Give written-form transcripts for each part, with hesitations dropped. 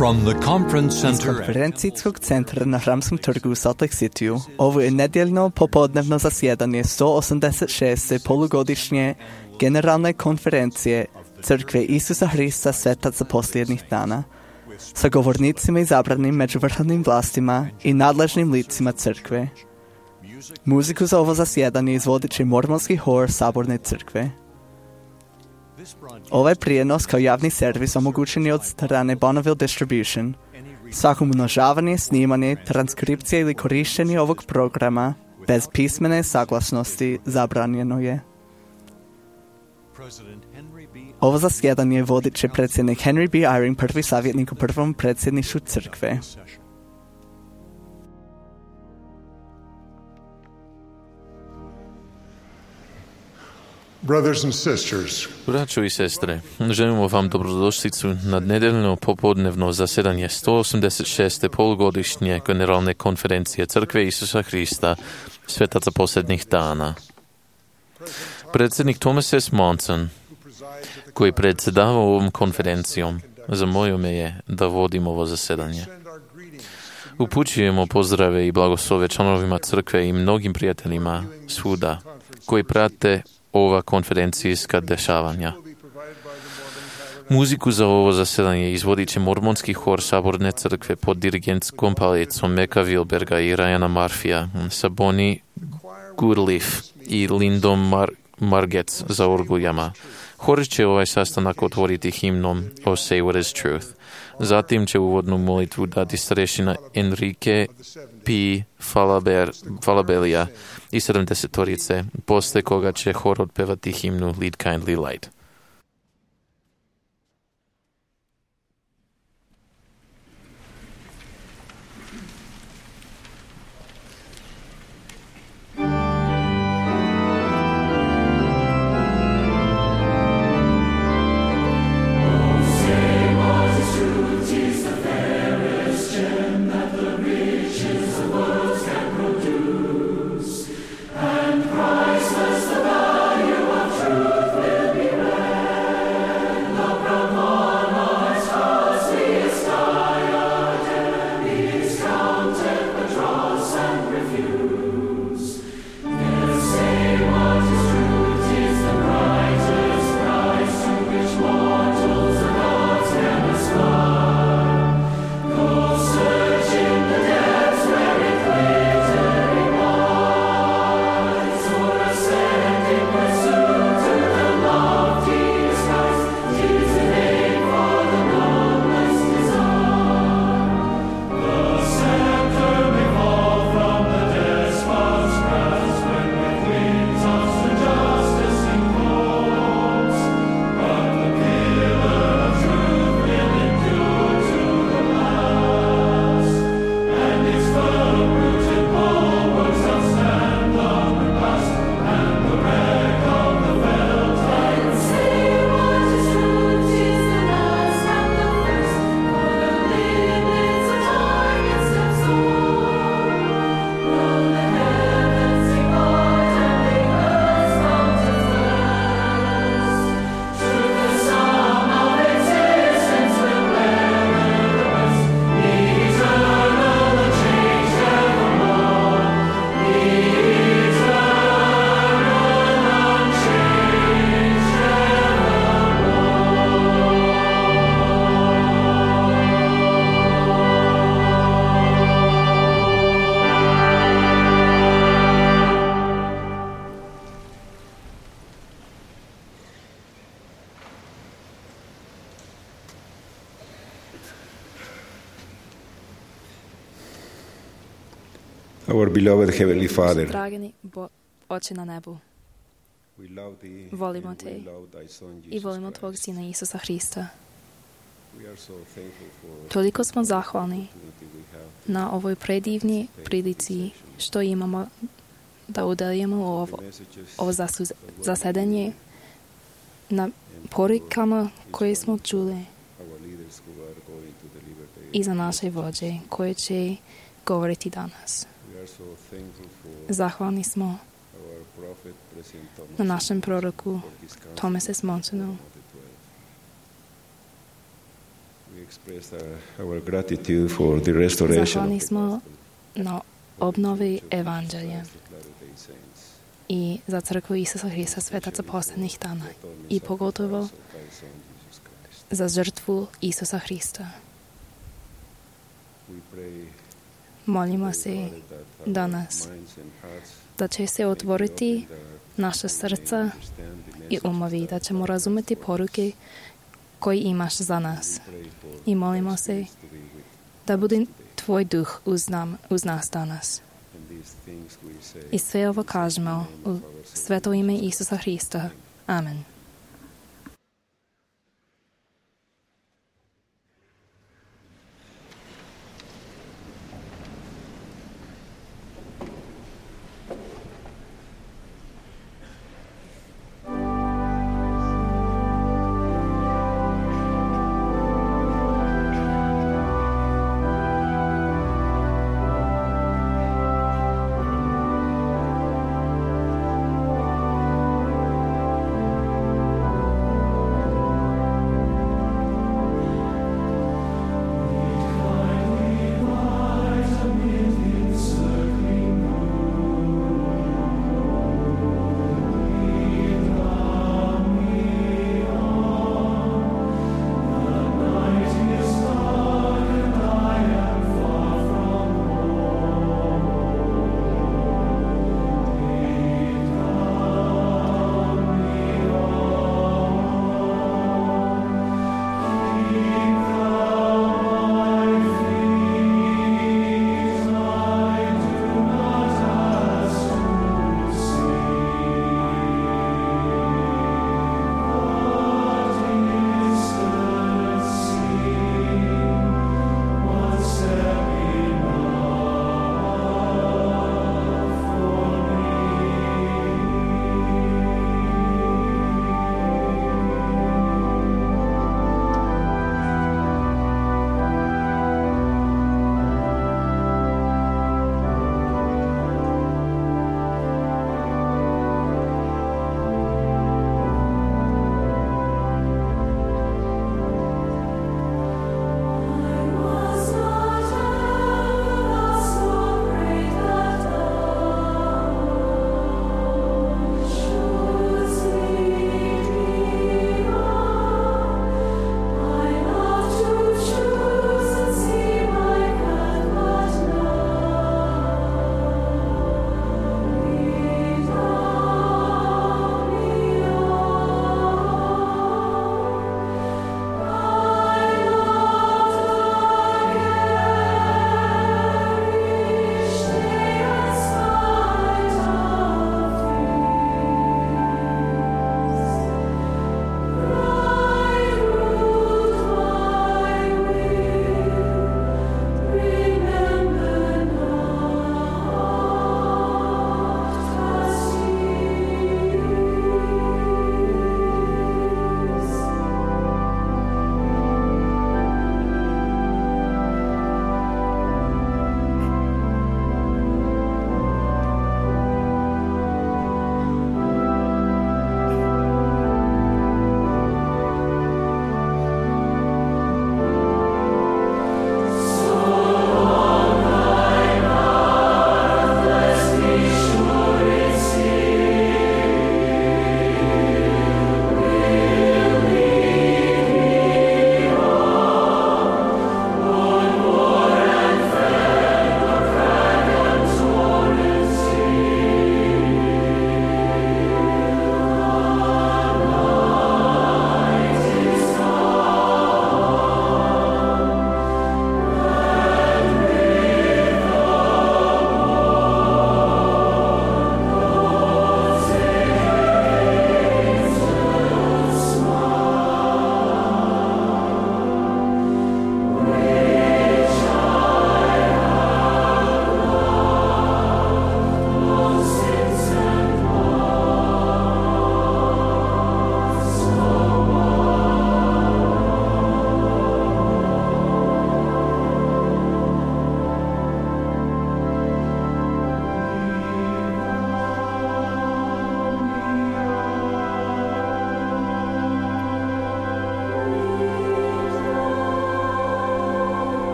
From the conference Iz center konferencijskog centra na Hramskom trgu u Salt Lake Cityu, ovo je nedjeljno popodnevno zasjedanje 186. polugodišnje generalne konferencije Crkve Isusa Hrista Svetaca posljednjih dana, sa govornicima izabranim među vrhovnim vlastima i nadležnim licima crkve. Muziku za ovo zasjedanje izvodit će mormonski hor Saborne crkve. Ovaj prijenos kao javni servis omogućen je od strane Bonneville Distribution. Svako umnožavanje, snimanje, transkripcija ili korištenje ovog programa bez pismene saglasnosti zabranjeno je. Ovo zasjedanje vodit će predsjednik Henry B. Eyring, prvi savjetnik u prvom predsjedništvu crkve. Brothers and sisters, Braćo i sestre, želimo vam dobrodošlicu na nedeljno popodnevno zasjedanje 186. polugodišnje generalne konferencije Crkve Isusa Hrista Svetaca posljednjih dana. Predsjednik Thomas S. Monson, koji predsjedava ovom konferencijom, zamolio me je da vodim ovo zasjedanje. Upućujemo pozdrave i blagoslove članovima crkve i mnogim prijateljima svuda koji prate ova konferencijska dešavanja. Muziku za ovo zasjedanje izvodit će mormonski hor Saborne crkve pod dirigentskom palicom Meka Wilberga i Ryana Murphyja sa Bonnie Goodleaf i Lindom Margetts za orguljama. Hor će ovaj sastanak otvoriti himnom O Say What Is Truth. Zatim će uvodnu molitvu dati starešina Enrique P. Falabella i 70-torice, posle koga će hor otpevati himnu Lead Kindly Light. Our beloved Heavenly Father, Dragani Oče na nebu, volimo Te i volimo Tvog Sina Isusa Hrista. Toliko smo zahvalni na ovoj predivnoj prilici što imamo da udelimo ovo zasedanje na porukama koje smo čuli i za naše vođe koje će govoriti danas. Zahvalni smo na našem proroku Thomas S. Monsonu We express our gratitude for the restoration Zahvalni of the smo na obnovi Evanđelja i za crkvu Isusa Hrista, svetaca posljednjih dana i pogotovo za žrtvu Isusa Hrista. Molimo se danas da će se otvoriti naša srca i umovi, da ćemo razumjeti poruke koje imaš za nas. I molimo se da bude tvoj duh uz nas danas. I sve ovo kažemo u sveto ime Isusa Hrista. Amen.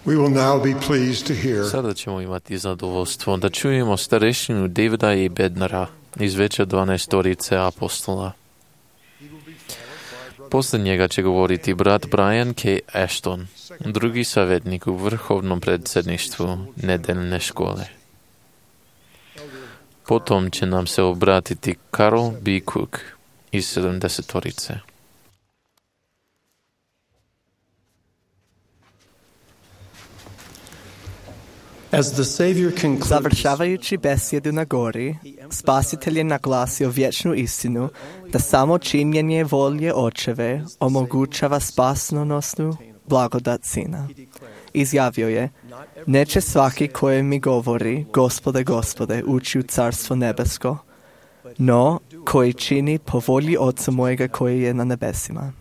We will now be pleased to hear Sada ćemo imati zadovoljstvo da čujemo starešinu Davida i Bednara iz veća 12 apostola. Posle njega će govoriti brat Brian K. Ashton, drugi savjetnik u vrhovnom predsjedništvu nedeljne škole. Potom će nam se obratiti Carol B. Cook iz 70-torice. Završavajući besjedu na gori, Spasitelj je naglasio vječnu istinu da samo činjenje volje Očeve omogućava spasonosnu blagodat Sina. Izjavio je, neće svaki koji mi govori, Gospode, Gospode, ući u Carstvo nebesko, no koji čini po volji Oca mojega koji je na nebesima.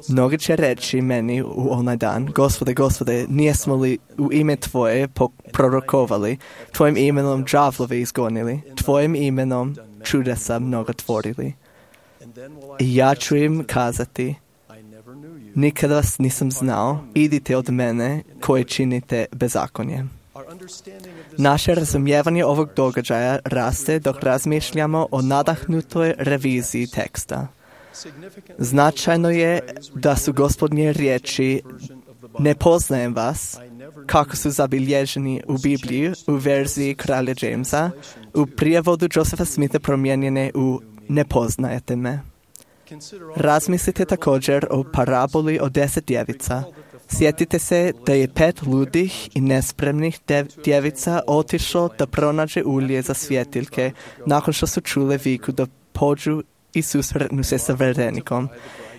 Mnogi će reći meni u onaj dan, Gospode, Gospode, nijesmo li u ime Tvoje prorokovali, Tvojim imenom đavlove izgonili, Tvojim imenom čudesa mnogo tvorili. I ja ću im kazati, nikada vas nisam znao, idite od mene koji činite bezakonje. Naše razumijevanje ovog događaja raste dok razmišljamo o nadahnutoj reviziji teksta. Značajno je da su Gospodnje riječi ne poznajem vas, kako su zabilježeni u Bibliji u verziji kralja Jamesa, u prijevodu Josepha Smitha promijenjene u ne poznajete me. Razmislite također o paraboli o 10 djevica. Sjetite se da je 5 ludih i nespremnih djevica otišlo da pronađe ulje za svjetiljke nakon što su čule viku da pođu i susretnu se sa verenikom.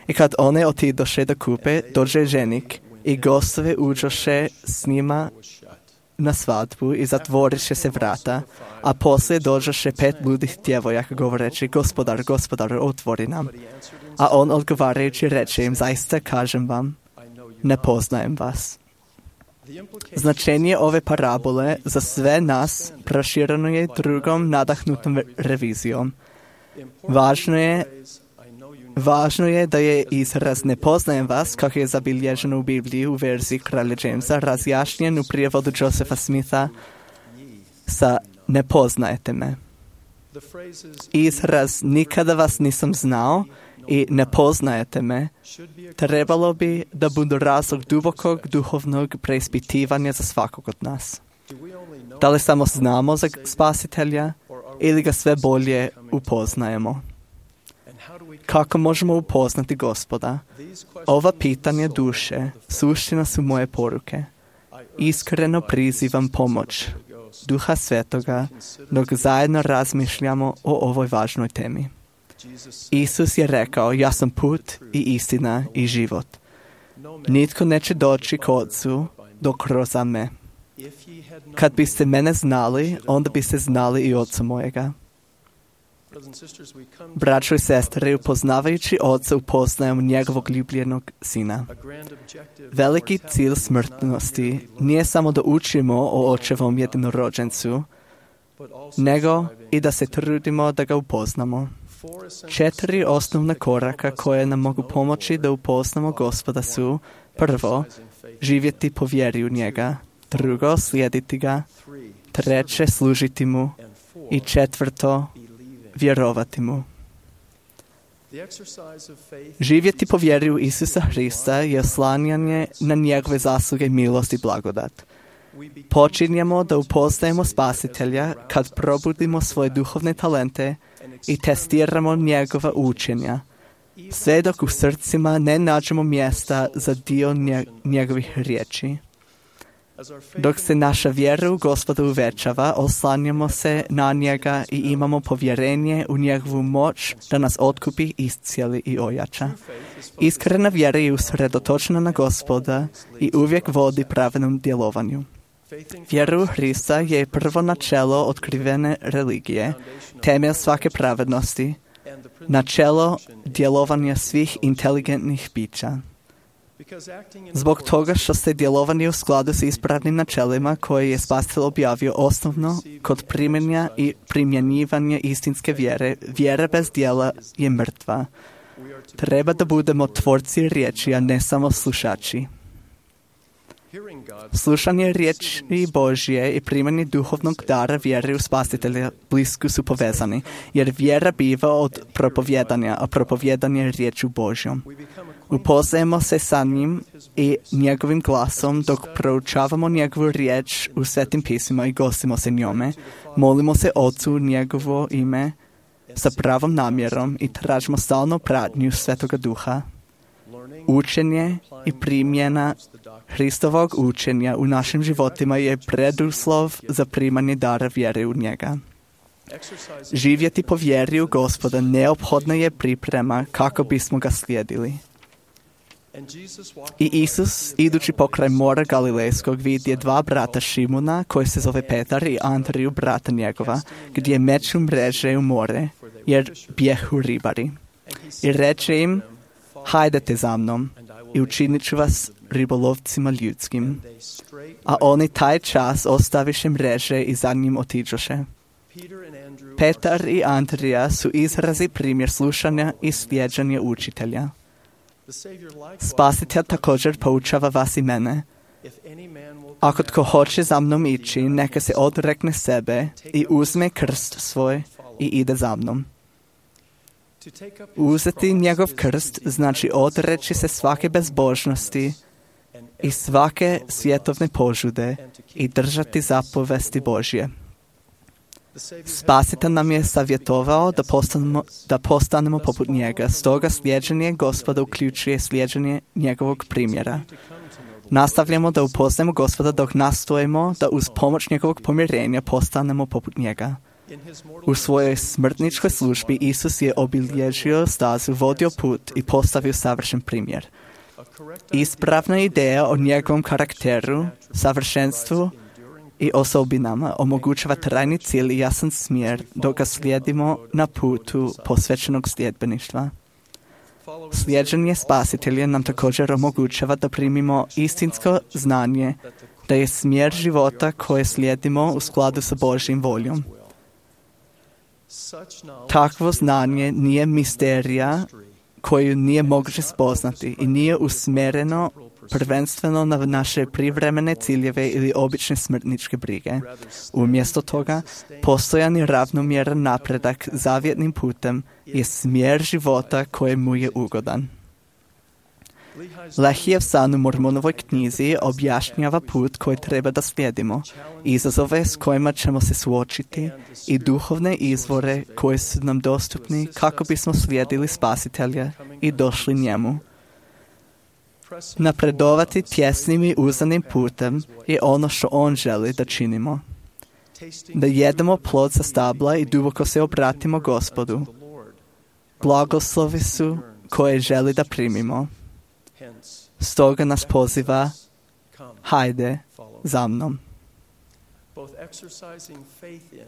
I kad one otidoše da kupe, dođe ženik i gostove uđoše s njima na svadbu i zatvoriše se vrata, a poslije dođoše 5 ludih djevojaka govoreći, Gospodar, Gospodar, otvori nam. A on odgovarajući reče im, zaista kažem vam, ne poznajem vas. Značenje ove parabole za sve nas prošireno je drugom nadahnutom revizijom. Važno je da je izraz ne poznajem vas, kako je zabilježeno u Bibliji u verziji kralja Jamesa, razjašnjen u prijevodu Josepha Smitha sa ne poznajete me. Izraz nikada vas nisam znao i ne poznajete me trebalo bi da budu razlog dubokog duhovnog preispitivanja za svakog od nas. Da li samo znamo za Spasitelja ili ga sve bolje upoznajemo? Kako možemo upoznati Gospoda? Ova pitanja duše suština su moje poruke. Iskreno prizivam pomoć Duha Svetoga dok zajedno razmišljamo o ovoj važnoj temi. Isus je rekao, ja sam put i istina i život. Nitko neće doći k Otcu dok kroz me. Kad biste mene znali, onda biste znali i Oca mojega. Braćo i sestre, upoznavajući Oca upoznajemo njegovog ljubljenog Sina. Veliki cilj smrtnosti nije samo da učimo o Očevom jednorođencu, nego i da se trudimo da ga upoznamo. 4 osnovna koraka koje nam mogu pomoći da upoznamo Gospoda su: prvo, živjeti po vjeri u njega; drugo, slijediti ga; treće, služiti mu; i četvrto, vjerovati mu. Živjeti po vjeri u Isusa Hrista je oslanjanje na njegove zasluge, milost i blagodat. Počinjemo da upoznajemo Spasitelja kad probudimo svoje duhovne talente i testiramo njegova učenja, sve dok u srcima ne nađemo mjesta za dio njegovih riječi. Dok se naša vjera u Gospoda uvećava, oslanjamo se na njega i imamo povjerenje u njegovu moć da nas otkupi, iscijeli i ojača. Iskrena vjera je usredotočena na Gospoda i uvijek vodi pravednom djelovanju. Vjera u Hrista je prvo načelo otkrivene religije, temelj svake pravednosti, načelo djelovanja svih inteligentnih bića. Zbog toga što se djelovanje u skladu s ispravnim načelima koje je Spasitelj objavio osnovno kod primjenja i primjenjivanja istinske vjere, vjera bez djela je mrtva. Treba da budemo tvorci riječi, a ne samo slušači. Slušanje riječi Božje i primanje duhovnog dara vjere u Spasitelja blisko su povezani, jer vjera biva od propovjedanja, a propovjedanje je riječu Božjom. Upoznajemo se sa njim i njegovim glasom dok proučavamo njegovu riječ u Svetim pismima i gostimo se njome. Molimo se Otcu u njegovo ime sa pravom namjerom i tražimo stalnu pratnju Svetoga Duha. Učenje i primjena Hristovog učenja u našim životima je preduslov za primanje dara vjere u njega. Živjeti po vjeri u Gospoda neophodna je priprema kako bismo ga slijedili. I Isus, idući pokraj mora Galilejskog, vidje dva brata Šimuna, koji se zove Petar i Andriju, brata njegova, gdje meču mreže u more, jer bjehu ribari. I reče im, hajdete za mnom i učinit ću vas ribolovcima ljudskim. A oni taj čas ostaviše mreže i za njim otiđoše. Petar i Andrija su izrazi primjer slušanja i slijeđanja učitelja. Spasitelj također poučava vas i mene. Ako tko hoće za mnom ići, neka se odrekne sebe i uzme krst svoj i ide za mnom. Uzeti njegov krst znači odreći se svake bezbožnosti i svake svjetovne požude i držati zapovesti Božje. Spasitelj nam je savjetovao da postanemo poput njega, stoga slijeđenje Gospoda uključuje slijeđenje njegovog primjera. Nastavljamo da upoznajemo Gospoda dok nastojimo da uz pomoć njegovog pomirenja postanemo poput njega. U svojoj smrtničkoj službi Isus je obilježio stazu, vodio put i postavio savršen primjer. Ispravna ideja o njegovom karakteru, savršenstvu i osobinama omogućava trajni cilj i jasan smjer dok ga slijedimo na putu posvećenog sljedbeništva. Slijeđenje Spasitelja nam također omogućava da primimo istinsko znanje da je smjer života koje slijedimo u skladu sa Božjim voljom. Takvo znanje nije misterija koju nije moguće spoznati i nije usmjereno prvenstveno na naše privremene ciljeve ili obične smrtničke brige. Umjesto toga, postojan i ravnomjeran napredak zavjetnim putem je smjer života kojemu je ugodan. Lehijev san u Mormonovoj knjizi objašnjava put koji treba da slijedimo, izazove s kojima ćemo se suočiti i duhovne izvore koji su nam dostupni kako bismo slijedili Spasitelja i došli njemu. Napredovati tjesnim i uzanim putem je ono što on želi da činimo. Da jedemo plod sa stabla i duboko se obratimo Gospodu. Blagoslovi su koje želi da primimo. Stoga nas poziva, hajde za mnom.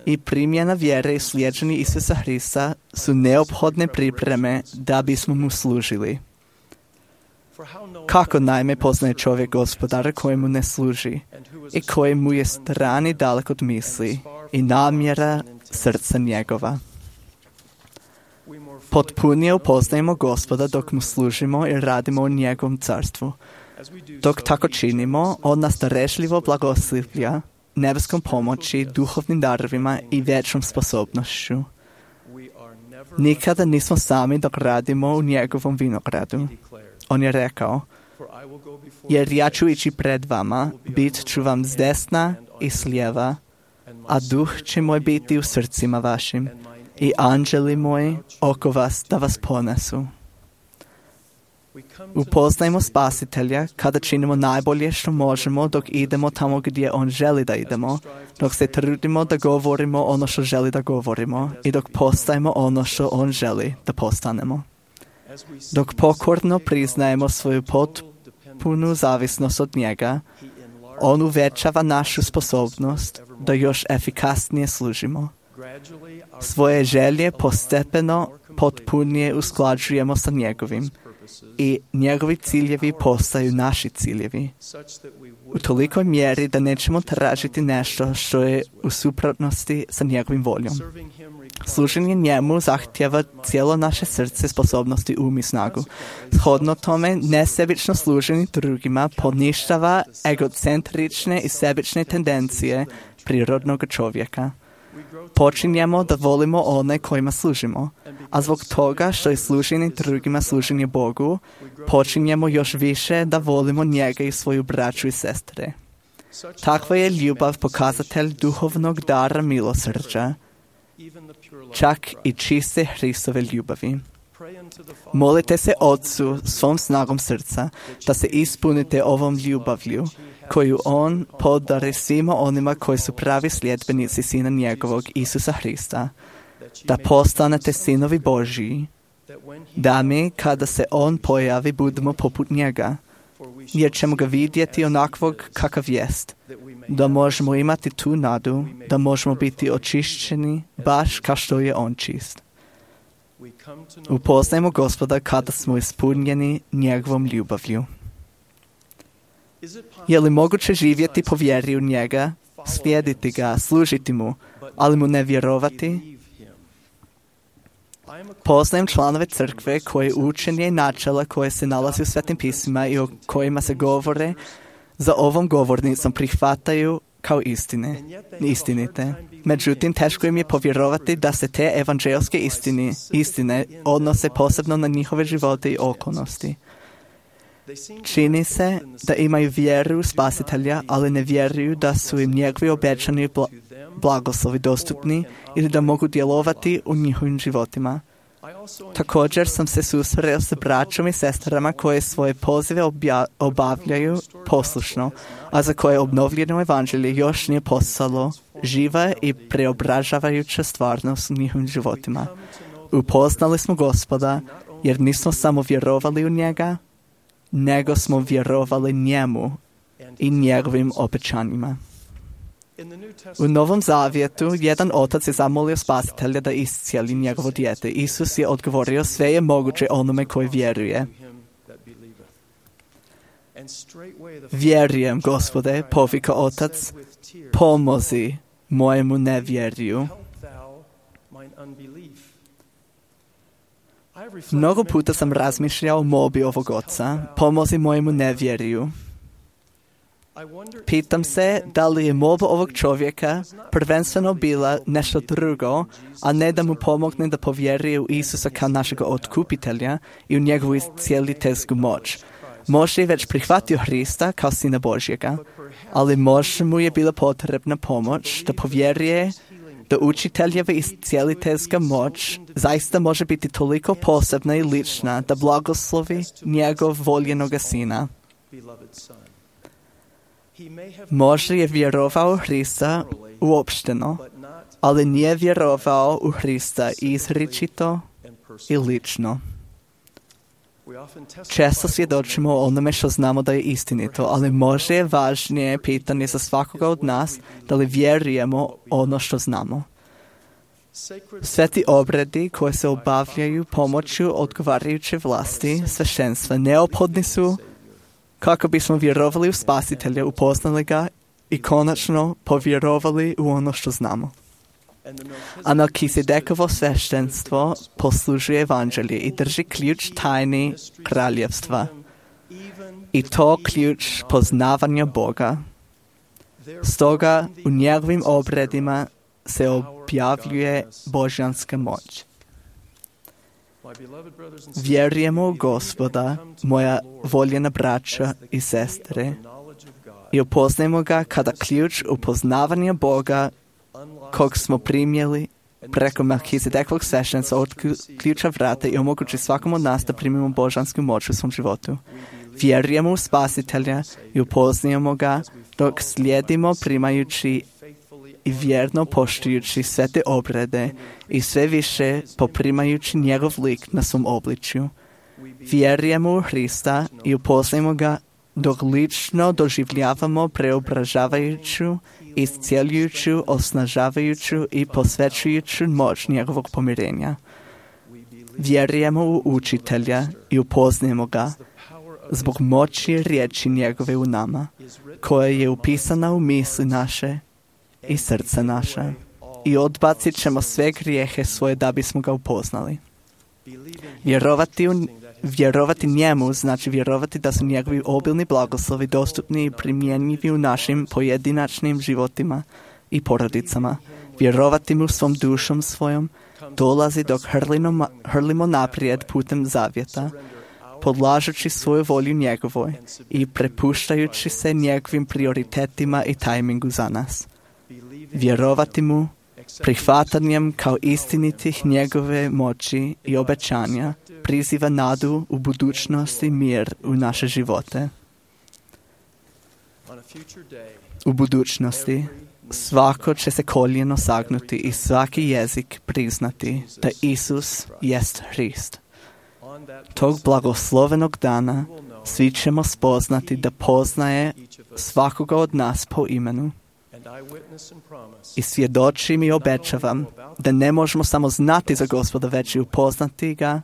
I primjena vjere i slijeđenje Isusa Hrista su neophodne pripreme da bismo mu služili. Kako naime poznaje čovjek Gospodara kojemu ne služi i kojemu je stran i dalek od misli i namjera srca njegova. Potpunije upoznajemo Gospoda dok mu služimo i radimo u njegovom carstvu. Dok tako činimo, on nas darežljivo blagoslivlja nebeskom pomoći, duhovnim darovima i vječnom sposobnošću. Nikada nismo sami dok radimo u njegovom vinogradu. On je rekao, jer ja ću ići pred vama, bit ću vam s desna i s lijeva, a duh će moj biti u srcima vašim i anđeli moji oko vas da vas ponesu. Upoznajmo Spasitelja kada činimo najbolje što možemo dok idemo tamo gdje On želi da idemo, dok se trudimo da govorimo ono što želi da govorimo i dok postajemo ono što On želi da postanemo. Dok pokorno priznajemo svoju potpunu zavisnost od njega, On uvećava našu sposobnost da još efikasnije služimo. Svoje želje postepeno potpunije usklađujemo sa njegovim i njegovi ciljevi postaju naši ciljevi. U tolikoj mjeri da nećemo tražiti nešto što je u suprotnosti sa njegovim voljom. Služenje njemu zahtjeva cijelo naše srce, sposobnosti, um i snagu. Shodno tome, nesebično služenje drugima poništava egocentrične i sebične tendencije prirodnog čovjeka. Počinjemo da volimo one kojima služimo, a zbog toga što je služenje drugima služenje Bogu, počinjemo još više da volimo njega i svoju braću i sestre. Takva je ljubav pokazatelj duhovnog dara milosrđa, čak i čiste Hristove ljubavi. Molite se Otcu svom snagom srca da se ispunite ovom ljubavlju koju On podari svima onima koji su pravi sljedbenici Sina njegovog Isusa Hrista, da postanete sinovi Božiji, da mi kada se On pojavi budemo poput njega, jer ćemo ga vidjeti onakvog kakav jest, da možemo imati tu nadu, da možemo biti očišćeni baš kao što je On čist. Upoznajmo Gospoda kada smo ispunjeni njegovom ljubavlju. Je li moguće živjeti po vjeri u njega, slijediti ga, služiti mu, ali mu ne vjerovati? Poznajem članove crkve koje učenje i načela koje se nalazi u Svetim pismima i o kojima se govore za ovom govornicom prihvataju kao istinite. Međutim, teško im je povjerovati da se te evanđelske istine odnose posebno na njihove živote i okolnosti. Čini se da imaju vjeru u Spasitelja, ali ne vjeruju da su im njegovi obećani blagoslovi dostupni ili da mogu djelovati u njihovim životima. Također sam se susreo s braćom i sestrama koje svoje pozive obavljaju poslušno, a za koje obnovljeno evanđelje još nije postalo živa i preobražavajuća stvarnost u njihovim životima. Upoznali smo Gospoda jer nismo samo vjerovali u njega, nego smo vjerovali njemu i njegovim obećanjima. U Novom Zavjetu jedan otac je zamolio Spasitelja da iscijeli njegovo dijete. Isus je odgovorio, sve je moguće onome koji vjeruje. Vjerujem, Gospode, povika otac, pomozi mojemu nevjeriju. Mnogo puta sam razmišljao o molbi ovog oca, pomozi mojemu nevjeriju. Pitam se da li je molba ovog čovjeka prvenstveno bila nešto drugo, a ne da mu pomogne da povjeruje u Isusa kao našeg otkupitelja i u njegovu iscijeliteljsku moć. Možda je već prihvatio Hrista kao Sina Božjega, ali možda mu je bila potrebna pomoć da povjeruje da učiteljeva iscijeliteljska moć zaista može biti toliko posebna i lična da blagoslovi njegov voljenoga Sina. Možda je vjerovao u Hrista uopšteno, ali nije vjerovao u Hrista izričito i lično. Često svjedočimo o onome što znamo da je istinito, ali možda je važnije pitanje za svakoga od nas da li vjerujemo ono što znamo. Sveti obredi koje se obavljaju pomoću odgovarajuće vlasti sveštenstva neophodni su kako bismo vjerovali u Spasitelja, upoznali ga i konačno povjerovali u ono što znamo. A Melkisedekovo sveštenstvo poslužuje evanđelje i drži ključ tajni kraljevstva. I to ključ poznavanja Boga. Stoga u njegovim obredima se objavljuje božjanska moć. Vjerujemo u Gospoda, moja voljena braća i sestre, i upoznajemo ga kada ključ upoznavanja Boga kog smo primjeli preko Melkizedekovog sveštenstva otključa vrata i omogući svakom od nas da primimo božansku moć u svom životu. Vjerujemo u Spasitelja i upoznajemo ga dok slijedimo primajući i vjerno poštujući sve te obrede i sve više poprimajući njegov lik na svom obličju. Vjerujemo u Hrista i upoznajemo ga dok lično doživljavamo preobražavajuću, iscijeljujuću, osnažavajuću i posvećujuću moć njegovog pomirenja. Vjerujemo u Učitelja i upoznajemo ga zbog moći riječi njegove u nama, koja je upisana u misli naše i srce naše. I odbacit ćemo sve grijehe svoje da bismo ga upoznali. Vjerovati njemu znači vjerovati da su njegovi obilni blagoslovi dostupni i primjenjivi u našim pojedinačnim životima i porodicama. Vjerovati mu svom dušom svojom dolazi dok hrlimo naprijed putem zavjeta, podlažući svoju volju njegovoj i prepuštajući se njegovim prioritetima i tajmingu za nas. Vjerovati mu prihvatanjem kao istinitih njegove moći i obećanja priziva nadu u budućnosti i mir u naše živote. U budućnosti svako će se koljeno sagnuti i svaki jezik priznati da Isus jest Hrist. Tog blagoslovenog dana svi ćemo spoznati da poznaje svakoga od nas po imenu. I svjedočim i obećavam da ne možemo samo znati za Gospoda, već i upoznati ga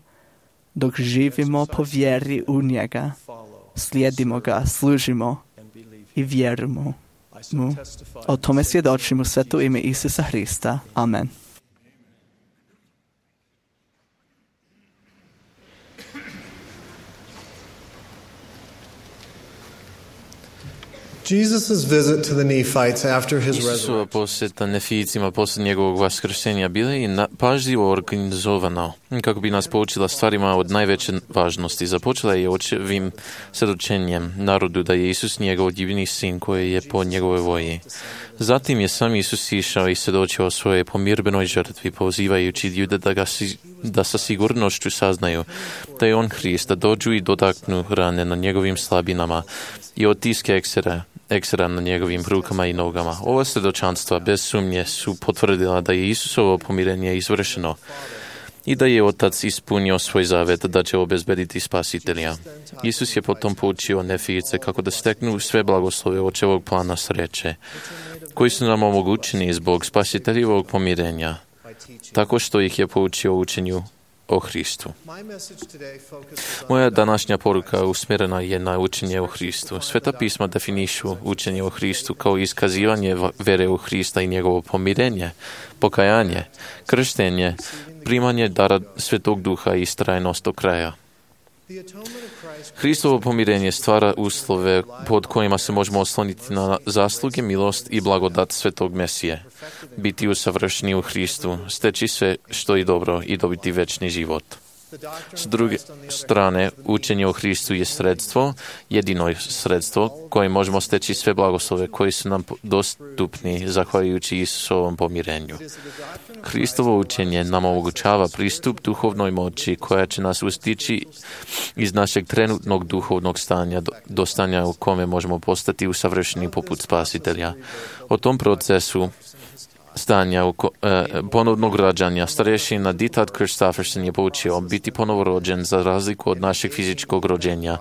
dok živimo po vjeri u njega, slijedimo ga, služimo i vjerujemo mu. O tome svjedočim u sveto ime Isusa Hrista. Amen. Jesus' visit to the Nephites after his Isusova resurrection posjeta Nefijicima poslije njegovog vaskrsenja bila je pažljivo organizovana kako bi nas poučila stvarima od najveće važnosti. Započela je očevim svjedočenjem narodu da je Isus njegov divni sin koji je po njegovoj volji. Zatim je sam Isus išao i svjedočio o svojoj pomirbenoj žrtvi, pozivajući ljude da sa sigurnošću saznaju da je on Hrist, da dođu i dotaknu rane na njegovim slabinama i otiske eksera na njegovim rukama i nogama. Ova svjedočanstva bez sumnje su potvrdila da je Isusovo pomirenje izvršeno i da je Otac ispunio svoj zavet da će obezbediti Spasitelja. Isus je potom poučio Nefijice kako da steknu sve blagoslove očevog plana sreće, koji su nam omogućeni zbog Spasiteljevog pomirenja, tako što ih je poučio učenju o Hristu. Moja današnja poruka usmjerena je na učenje o Hristu. Sveta pisma definišu učenje o Hristu kao iskazivanje vere u Hrista i njegovo pomirenje, pokajanje, krštenje, primanje dara Svetog Duha i istrajnost do kraja. Hristovo pomirenje stvara uslove pod kojima se možemo osloniti na zasluge, milost i blagodat Svetog Mesije, biti usavršeni u Hristu, steći sve što je dobro i dobiti večni život. S druge strane, učenje o Hristu je sredstvo, jedino sredstvo koje možemo steći sve blagoslove koji su nam dostupni zahvaljujući Isusovom pomirenju. Hristovo učenje nam omogućava pristup duhovnoj moći koja će nas ustići iz našeg trenutnog duhovnog stanja do stanja u kome možemo postati usavršeni poput Spasitelja. O tom procesu stanja ponovnog rađanja starješina Dieter Christofferson je poučio biti ponovorođen za razliku od našeg fizičkog rođenja.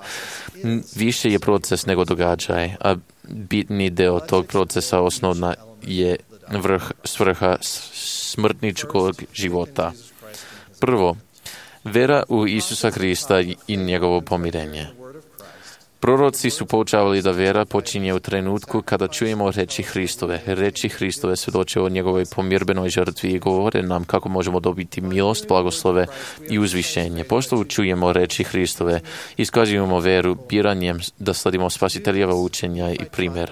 Više je proces nego događaj, a bitni deo tog procesa osnovna je svrha smrtničkog života. Prvo, vera u Isusa Hrista i njegovo pomirenje. Proroci su poučavali da vera počinje u trenutku kada čujemo reči Hristove. Reči Hristove svjedoče o njegovoj pomirbenoj žrtvi i govore nam kako možemo dobiti milost, blagoslove i uzvišenje. Pošto čujemo reči Hristove, iskazujemo veru biranjem da sledimo Spasiteljeva učenja i primjer.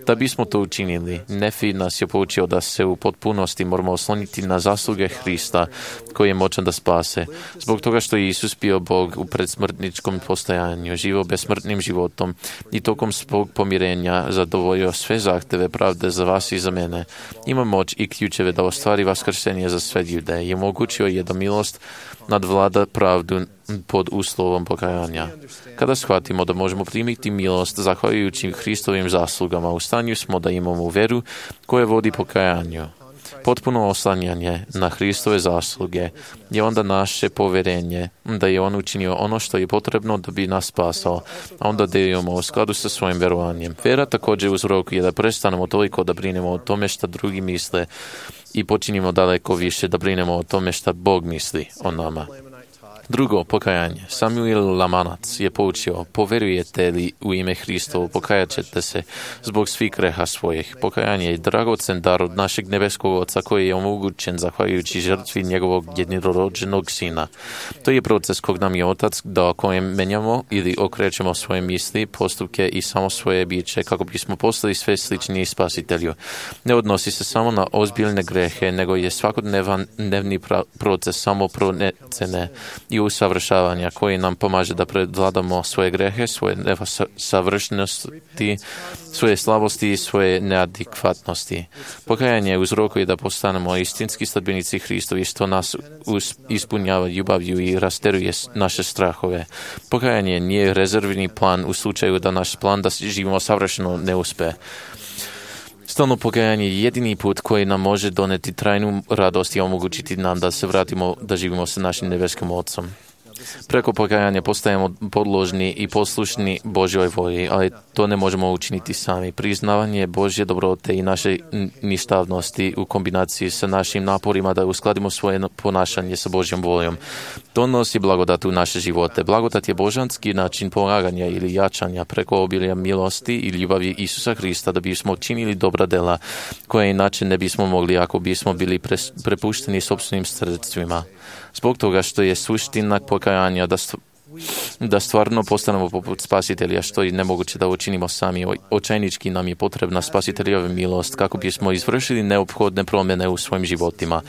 Da bismo to učinili, Nefi nas je poučio da se u potpunosti moramo osloniti na zasluge Hrista koji je moćan da spase. Zbog toga što je Isus bio Bog u predsmrtničkom postojanju, živo besmrtnim životom i tokom svog pomirenja zadovoljio sve zahteve pravde za vas i za mene. Ima moć i ključeve da ostvari vaskrsenje za sve ljude i omogućio je da milost nadvlada pravdu pod uslovom pokajanja. Kada shvatimo da možemo primiti milost zahvaljujući Hristovim zaslugama, u stanju smo da imamo veru koja vodi pokajanju. Potpuno oslanjanje na Hristove zasluge je onda naše poverenje da je On učinio ono što je potrebno da bi nas spasao, a onda delimo u skladu sa svojim verovanjem. Vera također uzrokuje da prestanemo toliko da brinemo o tome što drugi misle i počinimo daleko više da brinemo o tome što Bog misli o nama. Drugo, pokajanje. Samuel Lamanac je poučio, poverujete li u ime Hristovo, pokajat ćete se zbog svih greha svojih. Pokajanje je dragocen dar od našeg nebeskog Oca koji je omogućen zahvaljujući žrtvi njegovog jednorođenog sina. To je proces kog nam je Otac dao kojem menjamo ili okrećemo svoje misli, postupke i samo svoje biće kako bismo postali sve sličniji Spasitelju. Ne odnosi se samo na ozbiljne grehe, nego je svakodnevni proces samoprocene i usavršavanja koji nam pomaže da prevladamo svoje grehe, svoje nesavršenosti, svoje slabosti i svoje neadekvatnosti. Pokajanje uzrokuje da postanemo istinski sledbenici Hristovi što nas ispunjava ljubavlju i rasteruje naše strahove. Pokajanje nije rezervni plan u slučaju da naš plan da živimo savršeno ne uspe. Stalno pokajanje je jedini put koji nam može doneti trajnu radost i omogućiti nam da se vratimo da živimo sa našim nebeskim Otcom. Preko pokajanja postajemo podložni i poslušni Božjoj volji, ali to ne možemo učiniti sami. Priznavanje Božje dobrote i naše ništavnosti u kombinaciji sa našim naporima da uskladimo svoje ponašanje sa Božjom voljom donosi blagodat u naše živote. Blagodat je božanski način polaganja ili jačanja preko obilja milosti i ljubavi Isusa Hrista da bismo činili dobra dela koje inače ne bismo mogli ako bismo bili prepušteni sopstvenim sredstvima. Zbog toga što je suština pokajanja da stvarno postanemo poput Spasitelja, što je nemoguće da učinimo sami. Očajnički nam je potrebna Spasiteljova milost kako bismo izvršili neophodne promjene u svojim životima.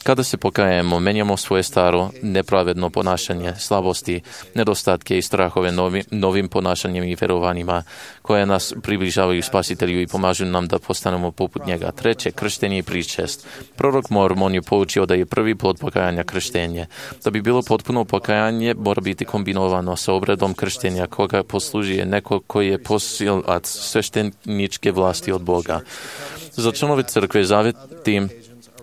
Kada se pokajemo, menjamo svoje staro, nepravedno ponašanje, slabosti, nedostatke i strahove novim ponašanjem i verovanjima koje nas približavaju Spasitelju i pomažu nam da postanemo poput njega. Treće, krštenje i pričest. Prorok Mormon je poučio da je prvi plod pokajanja krštenje. Da bi bilo potpuno pokajanje, mora biti kombinovano sa obredom krštenja koga poslužuje neko koji je posilac svešteničke vlasti od Boga. Za članove crkve zaveti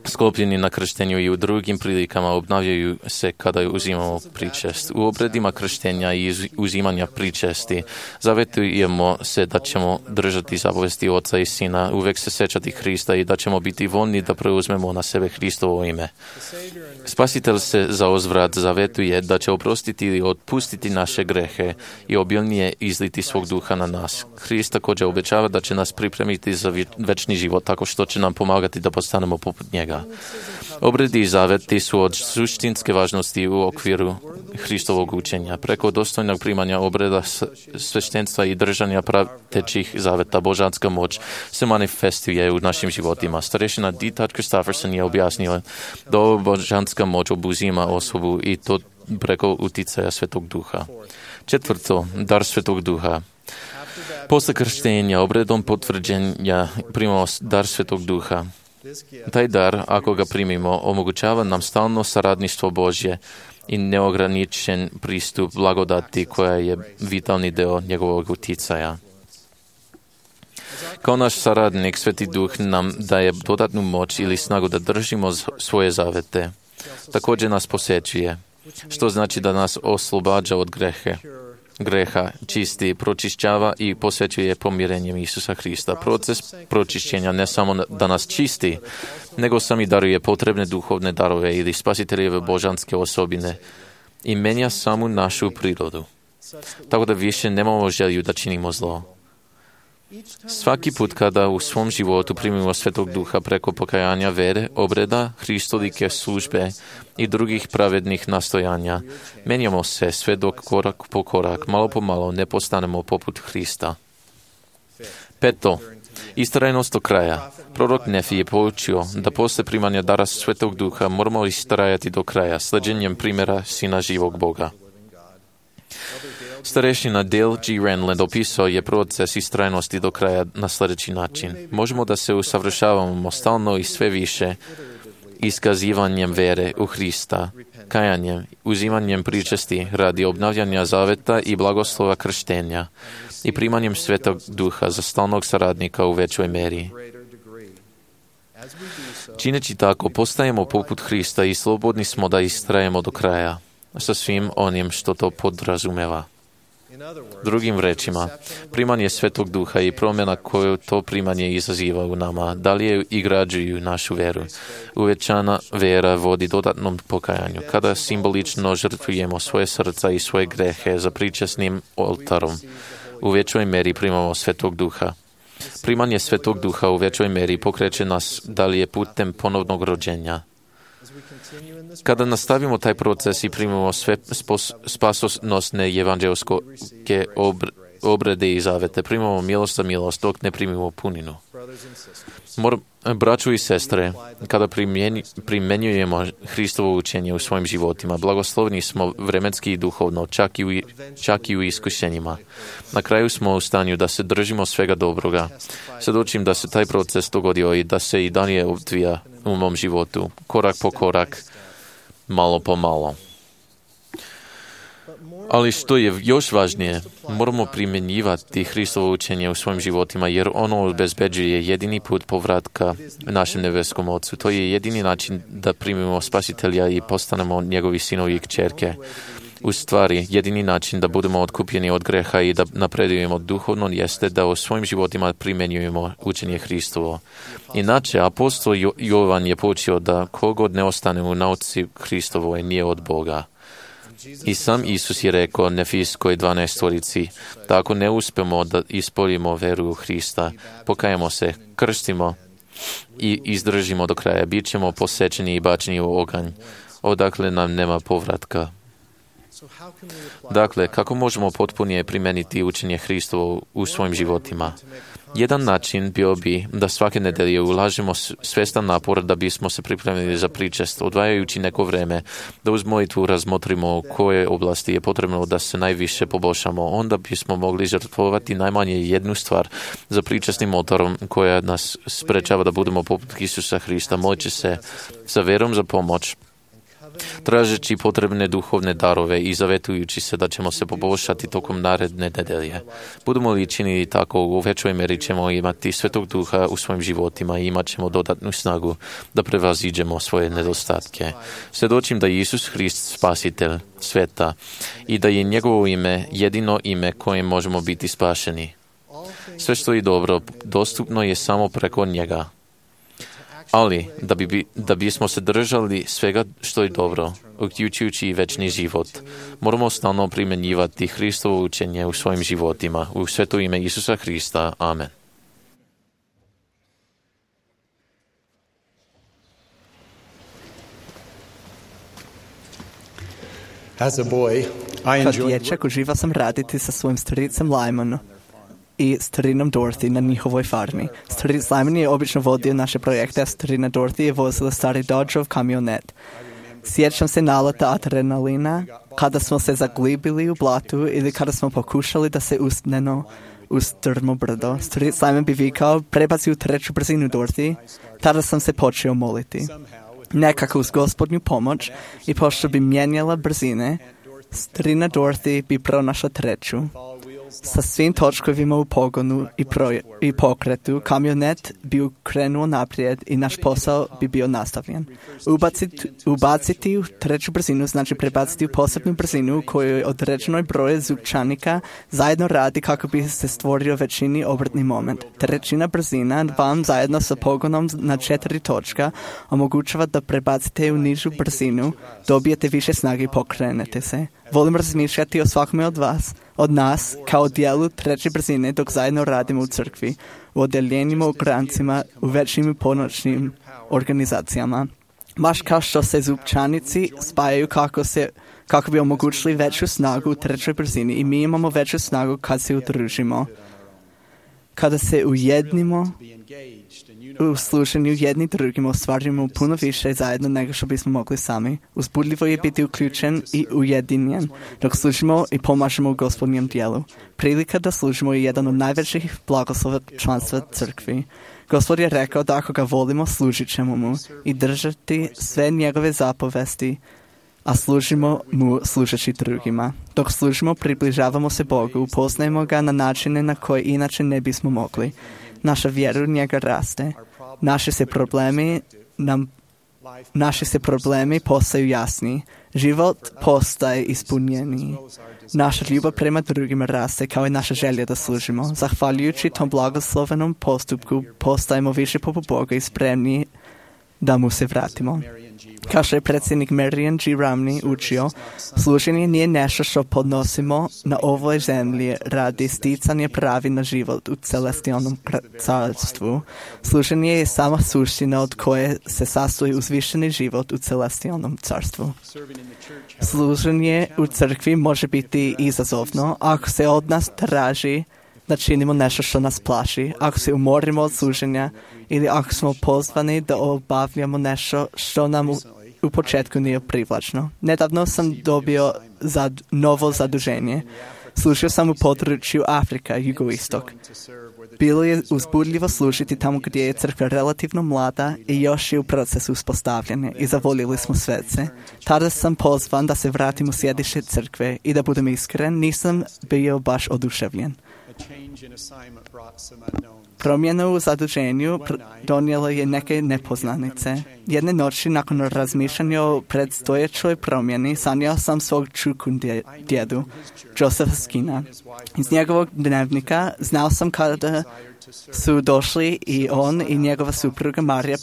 sklopljeni na krštenju i u drugim prilikama obnavljaju se kada uzimamo pričest. U obredima krštenja i uzimanja pričesti zavetujemo se da ćemo držati zapovesti Oca i Sina, uvek se sećati Hrista i da ćemo biti voljni da preuzmemo na sebe Hristovo ime. Spasitelj se za uzvrat zavetuje da će oprostiti ili otpustiti naše grehe i obilnije izliti svog duha na nas. Hrist također obećava da će nas pripremiti za večni život tako što će nam pomagati da postanemo poput njega. Obredi i zaveti su od suštinske važnosti u okviru Hristovog učenja. Preko dostojnog primanja obreda sveštenstva i držanja pratećih zaveta božanska moć se manifestuje u našim životima. Starešina D. Christofferson je objasnio da božanska moć obuzima osobu i to preko uticaja Svetog Duha. Četvrto, dar Svetog Duha. Posle krštenja obredom potvrđenja primamo dar Svetog Duha. Taj dar, ako ga primimo, omogućava nam stalno saradništvo Božje i neograničen pristup blagodati koja je vitalni deo njegovog uticaja. Kao naš saradnik, Sveti Duh nam daje dodatnu moć ili snagu da držimo svoje zavete. Također nas posjećuje, što znači da nas oslobađa od greha, čisti, pročišćava i posvećuje pomirenjem Isusa Hrista. Proces pročišćenja ne samo da nas čisti, nego sami daruje potrebne duhovne darove ili spasiteljeve božanske osobine i menja samu našu prirodu. Tako da više nemamo želju da činimo zlo. Svaki put kada u svom životu primimo Svetog Duha preko pokajanja vere, obreda, Hristolike službe i drugih pravednih nastojanja, menjamo se sve dok korak po korak, malo po malo ne postanemo poput Hrista. Peto, Istrajnost do kraja. Prorok Nefi je poučio da posle primanja dara Svetog Duha moramo istrajati do kraja, sleđenjem primjera Sina živog Boga. Starešina Dale G. Renland opisao je proces istrajnosti do kraja na sljedeći način. Možemo da se usavršavamo stalno i sve više iskazivanjem vere u Hrista, kajanjem, uzimanjem pričesti radi obnavljanja zaveta i blagoslova krštenja i primanjem Svetog Duha za stalnog saradnika u većoj meri. Čineći tako, postajemo poput Hrista i slobodni smo da istrajemo do kraja, sa svim onim što to podrazumeva. Drugim rečima, primanje Svetog Duha i promjena koju to primanje izaziva u nama, dalje igrađuju našu veru. Uvećana vera vodi dodatnom pokajanju, kada simbolično žrtvujemo svoje srca i svoje grehe za pričasnim oltarom. U većoj meri primamo Svetog Duha. Primanje Svetog Duha u većoj meri pokreće nas dalje putem ponovnog rođenja. Kada nastavimo taj proces i primimo sve spasonosne evanđelske obrede i zavete, primamo milost za milost dok ne primimo puninu. Braćo i sestre, kada primjenjujemo Hristovo učenje u svojim životima, blagoslovni smo vremenski i duhovno, čak i u iskušenjima. Na kraju smo u stanju da se držimo svega dobroga. Svjedočim da se taj proces dogodio i da se i dalje odvija u mom životu, korak po korak, malo po malo. Ali što je još važnije, moramo primjenjivati Hristovo učenje u svojim životima, jer ono obezbeđuje jedini put povratka našem nebeskom Ocu. To je jedini način da primimo Spasitelja i postanemo njegovi sinovi i kćerke. U stvari, jedini način da budemo otkupljeni od greha i da napredujemo duhovno jeste da u svojim životima primjenjujemo učenje Hristovo. Inače, apostol Jovan je poučio da kogod ne ostane u nauci Hristovoj nije od Boga. I sam Isus je rekao Nefijskoj 12-torici, da ako ne uspemo da ispoljimo veru u Hrista, pokajemo se, krstimo i izdržimo do kraja, bit ćemo posečeni i bačeni u oganj, odakle nam nema povratka. Dakle, kako možemo potpunije primeniti učenje Hristovo u svojim životima? Jedan način bio bi da svake nedelje ulažemo svestan napor da bismo se pripremili za pričest, odvajajući neko vreme, da uz molitvu razmotrimo u koje oblasti je potrebno da se najviše poboljšamo. Onda bismo mogli žrtvovati najmanje jednu stvar za pričestnim oltarom koja nas sprečava da budemo poput Isusa Hrista, moleći se sa verom za pomoć, tražeći potrebne duhovne darove i zavetujući se da ćemo se poboljšati tokom naredne nedelje. Budemo li činili tako, u većoj meri ćemo imati Svetog Duha u svojim životima i imat ćemo dodatnu snagu da prevaziđemo svoje nedostatke. Svjedočim da je Isus Hrist spasitelj sveta i da je njegovo ime jedino ime kojim možemo biti spašeni. Sve što je dobro dostupno je samo preko njega. Ali, da bismo se držali svega što je dobro, uključujući i večni život, moramo stalno primjenjivati Hristovo učenje u svojim životima. U sveto ime Isusa Hrista. Amen. Kao dječak uživao sam raditi sa svojim stricem Lymanom i starinom Dorothy na njihovoj farmi. Staric Lyman je obično vodio naše projekte, a starina Dorothy je vozila stari Dodgeov kamionet. Sjećam se naleta adrenalina kada smo se zaglibili u blatu ili kada smo pokušali da se uspnemo uz strmo brdo. Staric Lyman bi vikao, prebaci u treću brzinu Dorothy. Tada sam se počeo moliti. Nekako uz Gospodnju pomoć i pošto bi mijenjala brzine, starina Dorothy bi pronašla treću. Sa svim točkovima u pogonu i pokretu, kamionet bi krenuo naprijed i naš posao bi bio nastavljen. Ubaciti u treću brzinu znači prebaciti u posebnu brzinu koju određenoj broje zupčanika zajedno radi kako bi se stvorio većini obrtni moment. Trećina brzina vam zajedno sa pogonom na 4 točka omogućava da prebacite u nižu brzinu, dobijete više snage i pokrenete se. Volim razmišljati o svakome od nas, kao dijelu treće brzine dok zajedno radimo u crkvi, u odeljenjima, u grancima, u većim i ponoćnim organizacijama. Baš kao što se zupčanici spajaju kako bi omogućili veću snagu u trećoj brzini i mi imamo veću snagu kad se udružimo. Kada se ujednimo u slušanju jedni drugima, ostvarujemo puno više zajedno nego što bismo mogli sami. Uzbudljivo je biti uključen i ujedinjen dok služimo i pomažemo u Gospodnjem dijelu. Prilika da služimo je jedan od najvećih blagoslova članstva crkvi. Gospod je rekao da ako ga volimo, služit ćemo mu i držati sve njegove zapovesti, a služimo mu služeći drugima. Dok služimo, približavamo se Bogu, upoznajemo ga na načine na koje inače ne bismo mogli. Naša vjera u njega raste. Naši se problemi postaju jasni. Život postaje ispunjeniji. Naša ljubav prema drugima raste kao i naša želja da služimo. Zahvaljujući tom blagoslovenom postupku postajemo više poput Boga i spremni da mu se vratimo. Kao što je predsjednik Marian G. Ramney učio, služenje nije nešto što podnosimo na ovoj zemlji radi sticanja pravi na život u celestijalnom carstvu. Služenje je sama suština od koje se sastoji uzvišeni život u celestijalnom carstvu. Služenje u crkvi može biti izazovno ako se od nas traži da činimo nešto što nas plaši, ako se umorimo od služenja ili ako smo pozvani da obavljamo nešto što nam u početku nije privlačno. Nedavno sam dobio novo zaduženje. Služio sam u području Afrika, jugoistok. Bilo je uzbudljivo služiti tamo gdje je crkva relativno mlada i još je u procesu uspostavljanja i zavoljeli smo svece. Tada sam pozvan da se vratim u sjedište crkve i da budem iskren, nisam bio baš oduševljen. Promjena u zaduženju donijela je neke nepoznanice. Jedne noći nakon razmišljanja o predstojećoj promjeni sanjao sam svog čuku djedu, Josepha Skina. Iz njegovog dnevnika znao sam kada su došli i on i njegova supruga Marija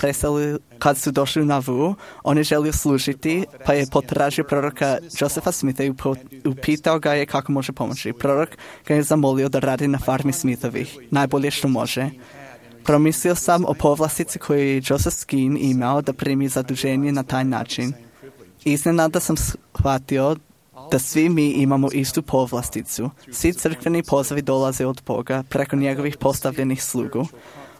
kad su došli u Nauvoo, on je želio služiti, pa je potražio proroka Josepha Smitha i upitao ga je kako može pomoći. Prorok ga je zamolio da radi na farmi Smithovih, najbolje što može. Promislio sam o povlastici koju je Joseph Skin imao da primi zaduženje na taj način. Iznenada sam shvatio da svi mi imamo istu povlasticu. Svi crkveni pozivi dolaze od Boga preko njegovih postavljenih slugu.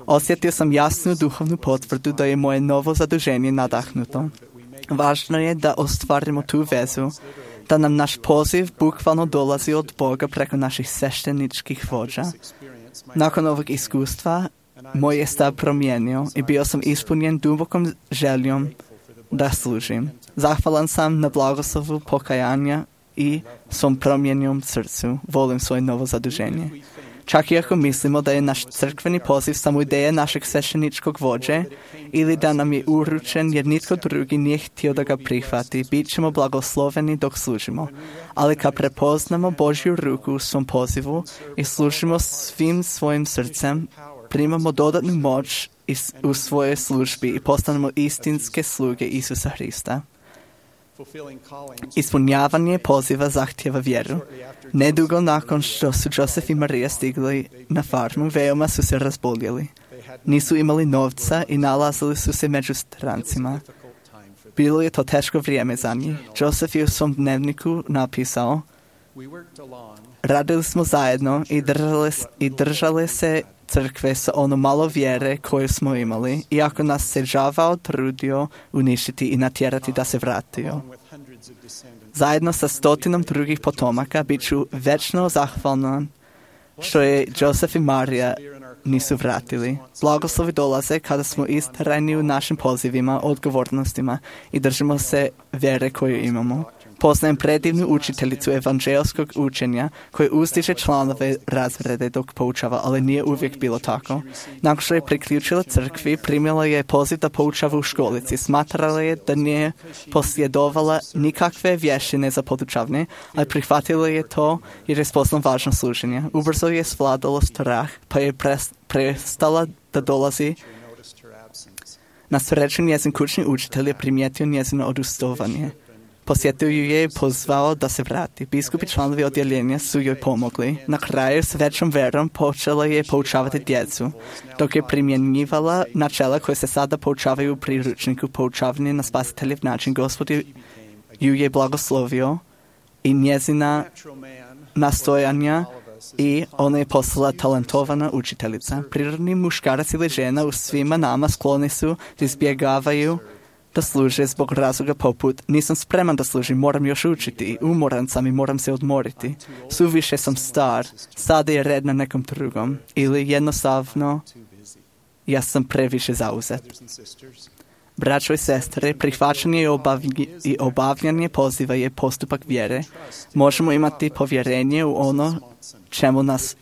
Osjetio sam jasnu duhovnu potvrdu da je moje novo zaduženje nadahnuto. Važno je da ostvarimo tu vezu, da nam naš poziv bukvalno dolazi od Boga preko naših svešteničkih vođa. Nakon ovog iskustva, moj je stav promijenio i bio sam ispunjen dubokom željom da služim. Zahvalan sam na blagoslovu pokajanja i svom promijenjenom srcu. Volim svoje novo zaduženje. Čak i ako mislimo da je naš crkveni poziv samo ideja našeg svešteničkog vođe ili da nam je uručen jer nitko drugi nije htio da ga prihvati, bit ćemo blagosloveni dok služimo. Ali kad prepoznamo Božju ruku u svom pozivu i služimo svim svojim srcem, primamo dodatnu moć u svojoj službi i postanemo istinske sluge Isusa Hrista. Ispunjavanje poziva zahtjeva vjeru. Nedugo nakon što su Joseph i Marija stigli na farmu, veoma su se razboljeli. Nisu imali novca i nalazili su se među strancima. Bilo je to teško vrijeme za njih. Joseph je u svom dnevniku napisao: radili smo zajedno i držali se crkve sa ono malo vjere koju smo imali, iako nas se đavao trudio uništiti i natjerati da se vratio. Zajedno sa 100 drugih potomaka bit ću večno zahvalan što je Joseph i Marija nisu vratili. Blagoslovi dolaze kada smo istrajni u našim pozivima, odgovornostima i držimo se vjere koju imamo. Poznajem predivnu učiteljicu evanđelskog učenja koja uzdiže članove razrede dok poučava, ali nije uvijek bilo tako. Nakon što je priključila crkvi, primila je poziv da poučava u školici. Smatrala je da nije posjedovala nikakve vještine za podučavanje, ali prihvatila je to jer je spoznala važnost služenja. Ubrzo je svladalo strah, pa je prestala da dolazi. Na sreću njezin kućni učitelj je primijetio njezino odustovanje. Posjetio ju je i pozvao da se vrati. Biskupi članovi odjeljenja su joj pomogli. Na kraju s većom verom počela je poučavati djecu, dok je primjenjivala načela koje se sada poučavaju u priručniku poučavanje na spasiteljev način. Gospod ju je blagoslovio i njezina nastojanja I ona je postala talentovana učiteljica. Prirodni muškarac ili žena u svima nama skloni su da izbjegavaju da služe zbog razloga poput nisam spreman da služim, moram još učiti, umoran sam i moram se odmoriti. Suviše sam star, sada je red na nekom drugom. Ili jednostavno, ja sam previše zauzet. Braćo i sestre, prihvaćanje i obavljanje poziva je postupak vjere. Možemo imati povjerenje u ono čemu nas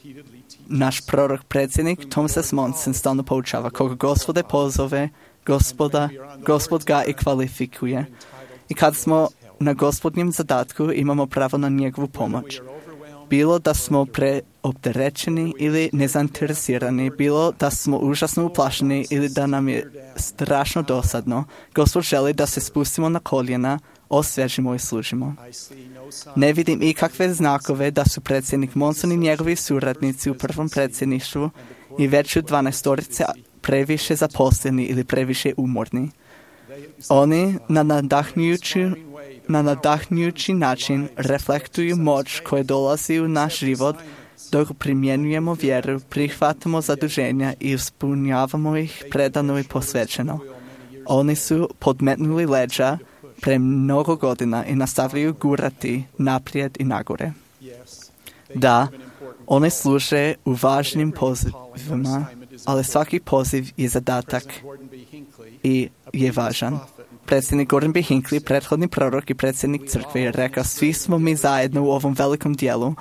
naš prorok predsjednik Thomas S. Monson stalno poučava. Koga Gospode pozove, Gospod ga i kvalifikuje. I kad smo na Gospodnjem zadatku, imamo pravo na njegovu pomoć. Bilo da smo preopterećeni ili nezainteresirani, bilo da smo užasno uplašeni ili da nam je strašno dosadno, Gospod želi da se spustimo na koljena, osvježimo i služimo. Ne vidim ikakve znakove da su predsjednik Monson i njegovi suradnici u prvom predsjedništvu i već u 12 previše zaposleni ili previše umorni. Oni na nadahnjujući način reflektuju moć koja dolazi u naš život dok primjenjujemo vjeru, prihvatamo zaduženja i ispunjavamo ih predano i posvećeno. Oni su podmetnuli leđa pre mnogo godina i nastavljaju gurati naprijed i nagore. Da, oni služe u važnim pozivima, ali svaki poziv je zadatak i je važan. Predsjednik Gordon B. Hinckley, prethodni prorok i predsjednik crkve, je rekao, svi smo mi zajedno u ovom velikom dijelu.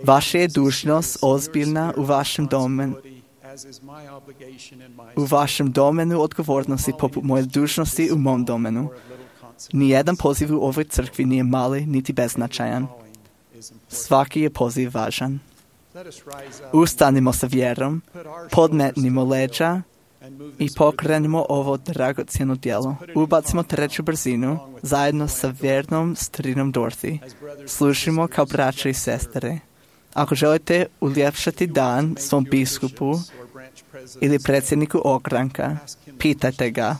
Vaša je dužnost ozbiljna u vašem domenu odgovornosti poput moje dužnosti u mom domenu. Nijedan poziv u ovoj crkvi nije mali niti beznačajan. Svaki je poziv važan. Ustanimo sa vjerom, podmetnimo leđa i pokrenimo ovo dragocjeno djelo. Ubacimo treću brzinu zajedno sa vjernom strinom Dorothy. Slušimo kao braća i sestre. Ako želite uljepšati dan svom biskupu ili predsjedniku ogranka, pitajte ga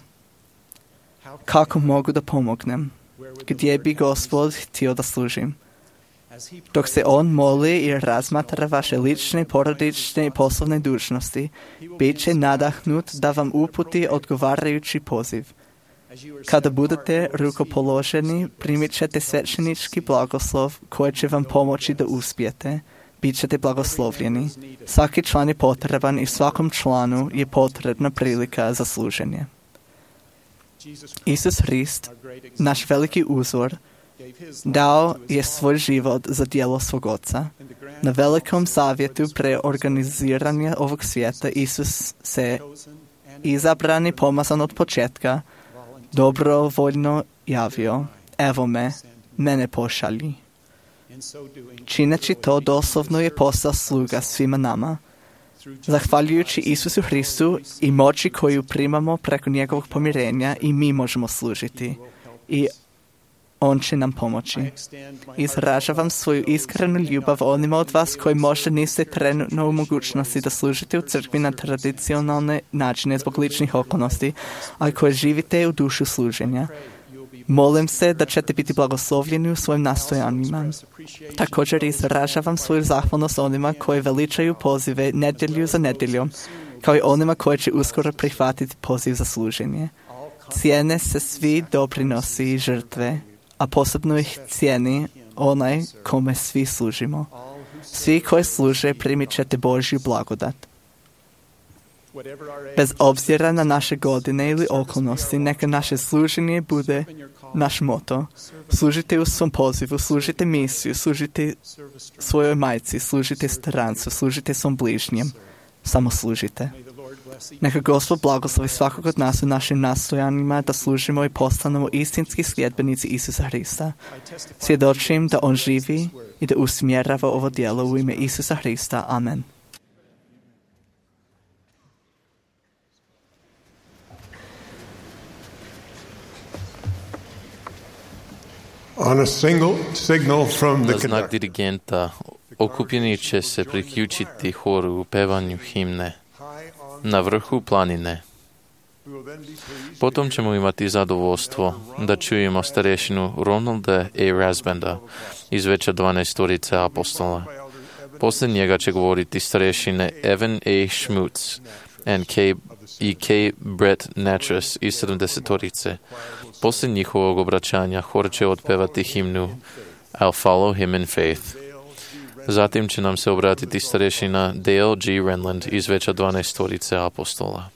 kako mogu da pomognem, gdje bi Gospod htio da služim. Dok se on moli i razmatra vaše lične, porodične i poslovne dužnosti, bit će nadahnut da vam uputi odgovarajući poziv. Kada budete rukopoloženi, primit ćete svećenički blagoslov koji će vam pomoći da uspijete. Bit ćete blagoslovljeni. Svaki član je potreban i svakom članu je potrebna prilika za služenje. Isus Hrist, naš veliki uzor, dao je svoj život za djelo svog Oca. Na velikom savjetu preorganiziranja ovog svijeta Isus se izabran i pomazan od početka dobrovoljno javio. Evo me, mene pošalji. Čineći to, doslovno je postao sluga svima nama. Zahvaljujući Isusu Hristu i moći koju primamo preko njegovog pomirenja, i mi možemo služiti. I on će nam pomoći. Izražavam svoju iskrenu ljubav onima od vas koji možda niste trenutno u mogućnosti da služite u crkvi na tradicionalne načine zbog ličnih okolnosti, a koji živite u dušu služenja. Molim se da ćete biti blagoslovljeni u svojim nastojanjima. Također izražavam svoju zahvalnost onima koji veličaju pozive nedjelju za nedjeljom, kao i onima koji će uskoro prihvatiti poziv za služenje. Cijene se svi doprinosi i žrtve, a posebno ih cijeni onaj kome svi služimo. Svi koji služe primit ćete Božju blagodat. Bez obzira na naše godine ili okolnosti, neka naše služenje bude naš moto. Služite u svom pozivu, služite misiju, služite svojoj majci, služite strancu, služite svom bližnjem. Samo služite. Neka Gospod blagoslovi svakog od nas u našim nastojanjima da služimo i postanemo istinski sljedbenici Isusa Hrista. Svjedočim da On živi i da usmjerava ovo djelo u ime Isusa Hrista. Amen. On a signal from the Na znak dirigenta okupljeni će se priključiti horu u pevanju himne Na vrhu planine. Potom ćemo imati zadovoljstvo da čujemo starešinu Ronalda A. Rasbanda iz Veća 12 apostola. Posle njega će govoriti starešine Evan A. Schmutz i K. Brett Natras iz 70-torice. Posle njihovog obraćanja hor će otpevati himnu I'll Follow Him in Faith. Zatim će nam se obratiti starešina Dale G. Renland iz veća 12-torice apostola.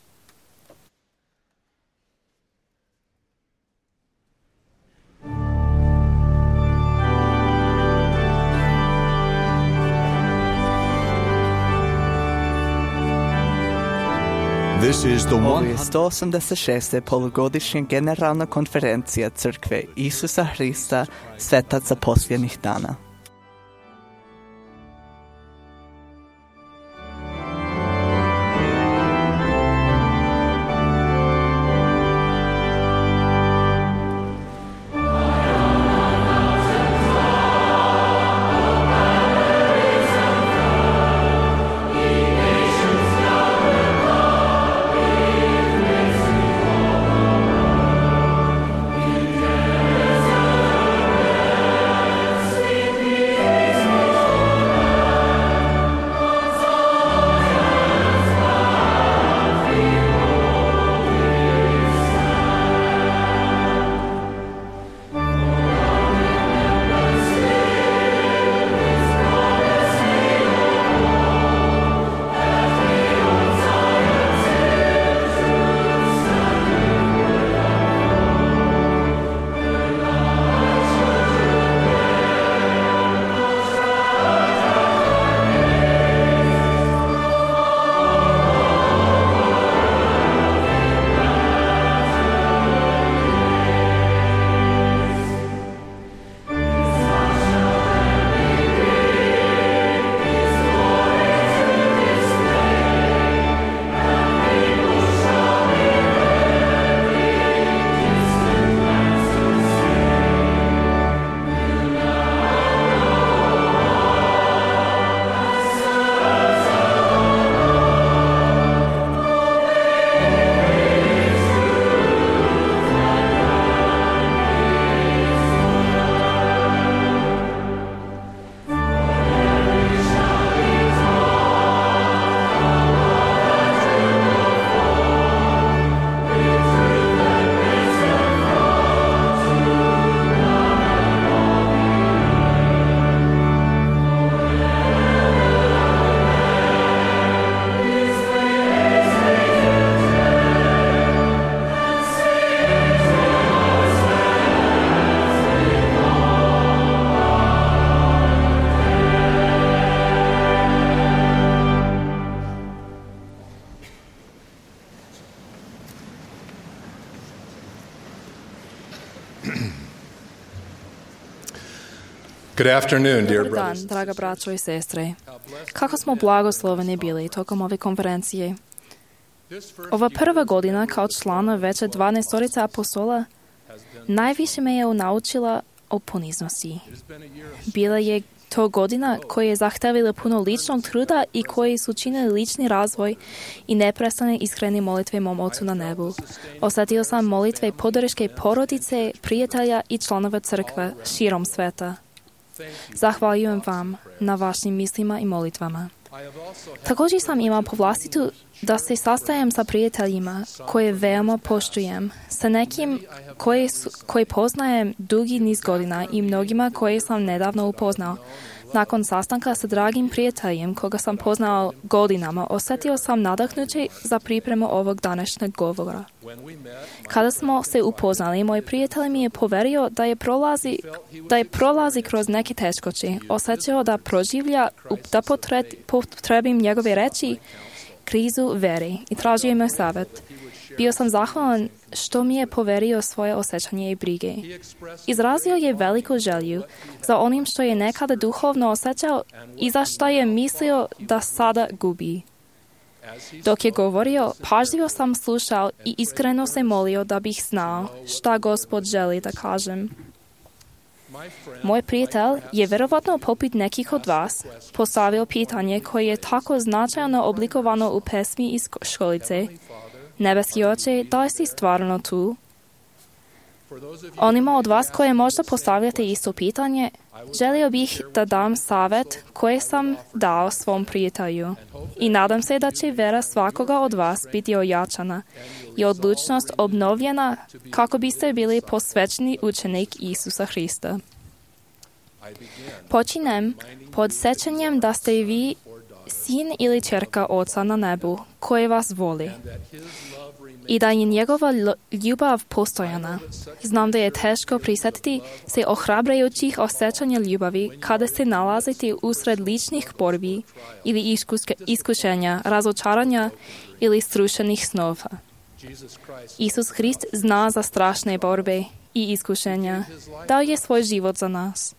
Ovo je 186. polugodišnja generalna konferencija Crkve Isusa Hrista svetaca posljednjih dana. Good afternoon, dear Dobar dan, brothers. draga braćo i sestre. Kako smo blagosloveni bili tokom ove konferencije. Ova prva godina kao člana veće 12-torice apostola najviše me je naučila o poniznosti. Bila je to godina koja je zahtevila puno ličnog truda i koji su činili lični razvoj i neprestane iskrene molitve mom Ocu na nebu. Osjetio sam molitve podrške porodice, prijatelja i članova crkve širom sveta. Zahvaljujem vam na vašim mislima i molitvama. Također sam imao povlastitu da se sastajem sa prijateljima koje veoma poštujem, sa nekim koji poznajem dugi niz godina i mnogima koje sam nedavno upoznao. Nakon sastanka sa dragim prijateljem koga sam poznao godinama, osjetio sam nadahnuće za pripremu ovog današnjeg govora. Kada smo se upoznali, moj prijatelj mi je poverio da je prolazi kroz neke teškoće, osjećao da proživlja, da potrebim njegove reči, krizu vere i tražio me savjet. Bio sam zahvalan što mi je poverio svoje osjećanje i brige. Izrazio je veliku želju za onim što je nekada duhovno osjećao i za što je mislio da sada gubi. Dok je govorio, pažljivo sam slušao i iskreno se molio da bih znao šta Gospod želi da kažem. Moj prijatelj je vjerovatno poput nekih od vas postavio pitanje koje je tako značajno oblikovano u pesmi iz školice. Nebeski Oče, da li si stvarno tu? Onima od vas koje možda postavljate isto pitanje, želio bih da dam savjet koji sam dao svom prijatelju i nadam se da će vera svakoga od vas biti ojačana i odlučnost obnovljena kako biste bili posvećeni učenik Isusa Hrista. Počinem podsjećanjem da ste i vi sin ili ćerka Oca na nebu koji vas voli i da je njegova ljubav postojana. Znam da je teško prisjetiti se ohrabrajućih osjećanja ljubavi kada se nalazite usred ličnih borbi ili iskušenja, razočaranja ili srušenih snova. Isus Hrist zna za strašne borbe i iskušenja. Dao je svoj život za nas.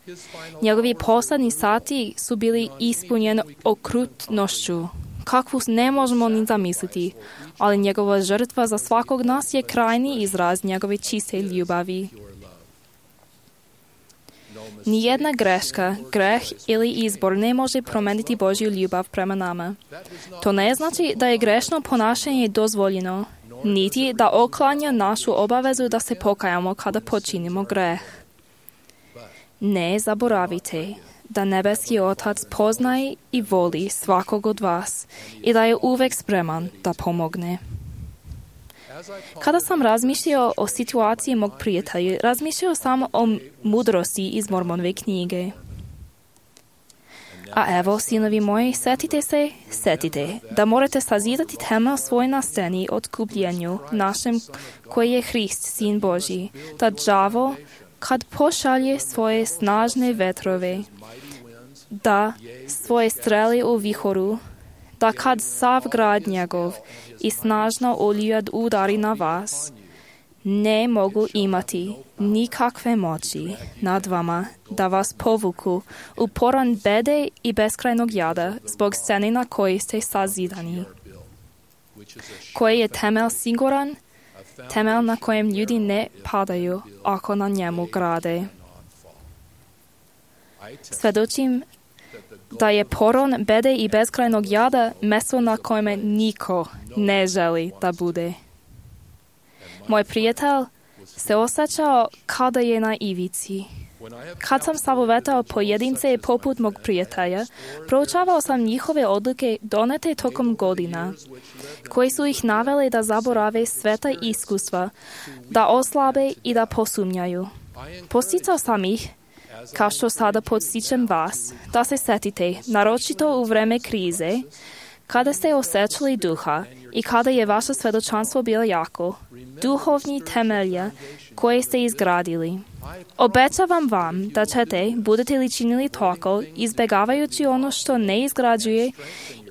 Njegovi posljednji sati su bili ispunjeni okrutnošću, kakvu ne možemo ni zamisliti, ali njegova žrtva za svakog nas je krajni izraz njegove čiste ljubavi. Nijedna greška, greh ili izbor ne može promijeniti Božju ljubav prema nama. To ne znači da je grešno ponašanje dozvoljeno, niti da oklanja našu obavezu da se pokajamo kada počinimo greh. Ne zaboravite da nebeski Otac poznaje i voli svakog od vas i da je uvijek spreman da pomogne. Kada sam razmišljao o situaciji mog prijatelja, razmišljao sam o mudrosti iz Mormonove knjige. A evo, sinovi moji, setite da morate sazidati temelj svoj na sceni otkupljenju našem koji je Hrist, Sin Božji, da đavo kad pošalje svoje snažne vetrove, da svoje streli u vihoru, da kad sav grad njegov i snažna oluja udari na vas, ne mogu imati nikakve moći nad vama da vas povuku u poran bede i beskrajnog jada zbog scene na kojoj ste sazidani. Koji je temelj siguran, temelj na kojem ljudi ne padaju ako na njemu grade. Svjedočim da je poron bede i beskrajnog jada mjesto na kojem niko ne želi da bude. Moj prijatelj se osjećao kada je na ivici. Kad sam savjetovao pojedince poput mog prijatelja, proučavao sam njihove odluke donete tokom godina, koji su ih naveli da zaborave sveta iskustva, da oslabe i da posumnjaju. Posticao sam ih, kao što sada podstičem vas, da se setite, naročito u vreme krize, kada ste osjećali duha i kada je vaše svjedočanstvo bilo jako, duhovni temelje koje ste izgradili. Obećavam vam da ćete, budete li činili tako, izbjegavajući ono što ne izgrađuje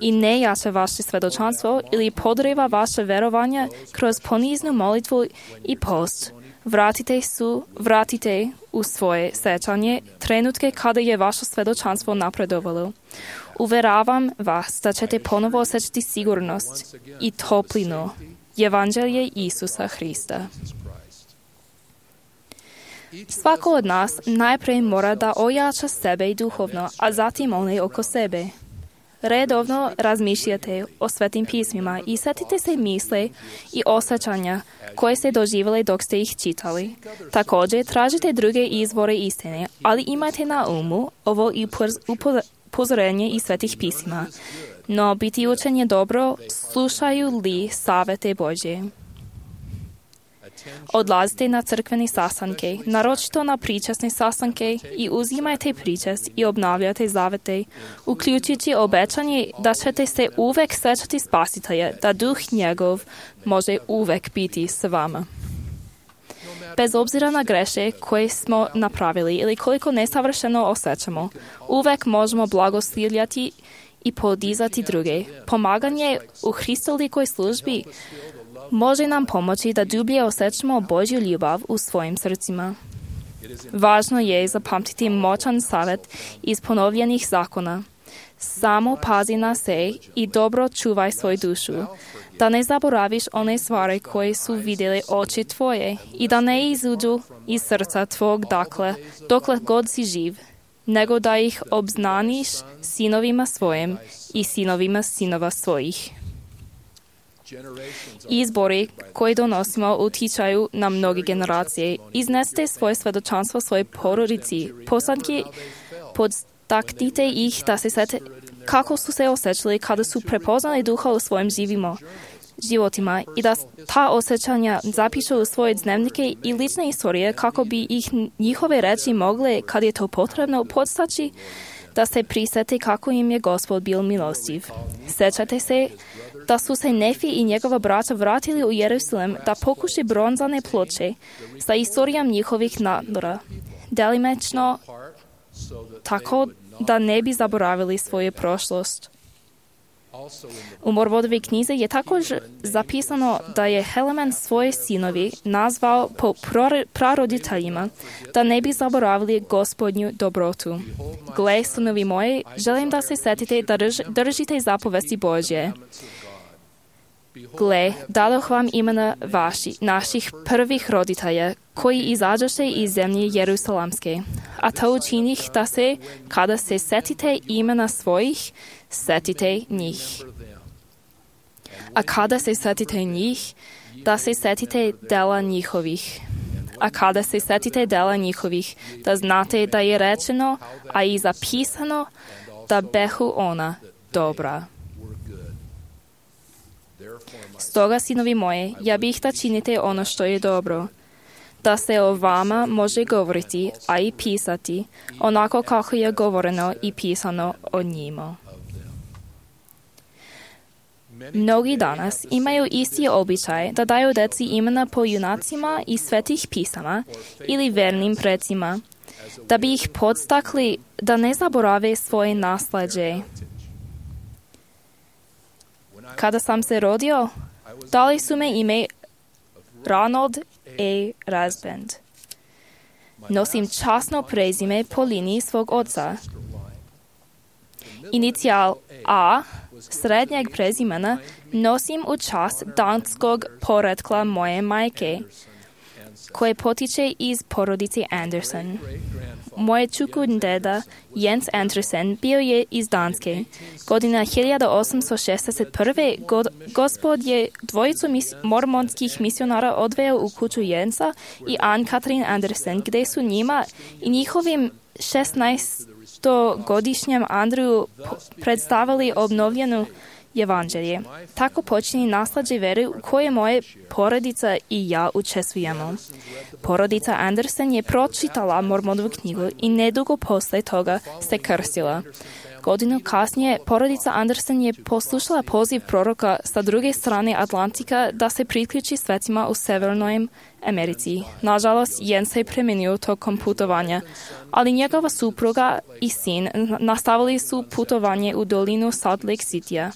i ne jače vaše svjedočanstvo ili podriva vaše verovanje kroz poniznu molitvu i post, vratite u svoje sjećanje trenutke kada je vaše svjedočanstvo napredovalo. Uveravam vas da ćete ponovo osjećati sigurnost i toplinu Evanđelje Isusa Hrista. Svako od nas najprije mora da ojača sebe i duhovno, a zatim one oko sebe. Redovno razmišljate o svetim pismima i setite se misle i osjećanja koje ste doživjeli dok ste ih čitali. Također tražite druge izvore istine, ali imajte na umu ovo i upozorenje iz svetih pisma. No biti učen je dobro, slušaju li savete Božje. Odlazite na crkvene sastanke, naročito na pričasne sastanke i uzimajte pričast i obnavljate zavete, uključujući obećanje da ćete se uvek sjećati Spasitelja, da duh njegov može uvek biti s vama. Bez obzira na greše koje smo napravili ili koliko nesavršeno osjećamo, uvek možemo blagoslivljati i podizati druge. Pomaganje u Hristolikoj službi može nam pomoći da dublje osjećamo Božju ljubav u svojim srcima. Važno je zapamtiti moćan savjet iz ponovljenih zakona. Samo pazi na se i dobro čuvaj svoju dušu, da ne zaboraviš one stvari koje su vidjeli oči tvoje i da ne izuđu iz srca tvog dokle god si živ, nego da ih obznaniš sinovima svojim i sinovima sinova svojih. Izbori koji donosimo utičaju na mnoge generacije. Iznesite svoje svedočanstvo svojoj porodici. Poslanki podstaknite ih da se sete kako su se osjećali kada su prepoznali duha u svojim životima i da ta osjećanja zapišu u svoje dnevnike i lične istorije kako bi ih njihove reči mogle, kad je to potrebno, podstaći da se prisete kako im je Gospod bil milostiv. Sjećate se da su se Nefi i njegova braća vratili u Jerusalem da pokuši bronzane ploče sa istorijom njihovih naroda, delimično tako da ne bi zaboravili svoju prošlost. U Mormonove knjizi je također zapisano da je Helaman svoje sinovi nazvao po praroditeljima, da ne bi zaboravili Gospodnju dobrotu. Gle, sinovi moji, želim da se setite da držite zapovesti Božje. Gle, dadoh vam imena naših prvih roditelja, koji izađoše iz zemlje Jerusalemske. A to učinih da se, kada se setite imena svojih, setite njih. A kada se setite njih, da se setite dela njihovih. A kada se setite dela njihovih, da znate da je rečeno, a i zapisano, da behu ona dobra. Stoga, sinovi moje, ja bih da činite ono što je dobro, da se o vama može govoriti, a i pisati, onako kako je govoreno i pisano o njima. Mnogi danas imaju isti običaj da daju deci imena po junacima iz svetih pisama ili vernim precima, da bi ih podstakli da ne zaborave svoje nasleđe. Kada sam se rodio, dali su me ime Ronald A. Rasband. Nosim časno prezime po liniji svog oca. Inicijal A srednjeg prezimena nosim u čast danskog porekla moje majke, koje potiče iz porodice Anderson. Moj čukun deda, Jens Andersen, bio je iz Danske. Godina 1861. Gospod je dvojicu mormonskih misionara odveo u kuću Jensa i Ann-Katrin Andersen, gdje su njima i njihovim 16-godišnjem Andreju predstavili obnovljenu evanđelje. Tako počinje naslađe vere u koje moje porodica i ja učestvujemo. Porodica Andersen je pročitala Mormonovu knjigu i nedugo posle toga se krstila. Godinu kasnije porodica Andersen je poslušala poziv proroka sa druge strane Atlantika da se priključi svetima u Severnoj Americi. Nažalost, Jens se premenio tokom putovanja, ali njegova supruga i sin nastavili su putovanje u dolinu Salt Lake Citya,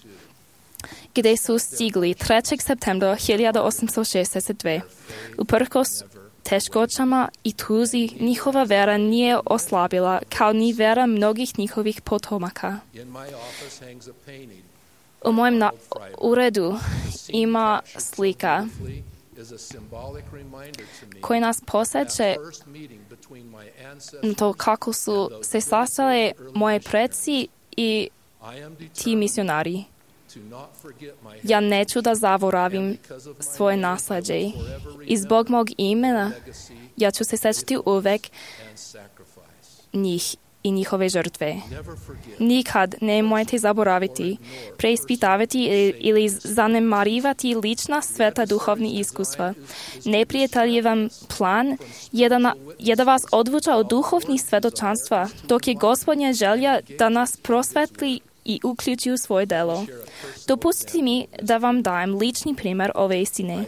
gdje su stigli 3. septembra 1862. Uprkos teškoćama i tuzi, njihova vera nije oslabila, kao ni vera mnogih njihovih potomaka. U mojem uredu ima slika koja nas podsjeća na to kako su se sastali moji preci i ti misionari. Ja neću da zaboravim svoje nasleđe i zbog mog imena ja ću se sjećati uvek njih i njihove žrtve. Nikad nemojte zaboraviti, preispitavati ili zanemarivati lična sveta duhovni iskustva. Neprijateljevan plan je da vas odvuča od duhovnih svedočanstva, dok je Gospodnja želja da nas prosvetli i uključi u svoje delo. Dopustite mi da vam dajem lični primjer ove istine.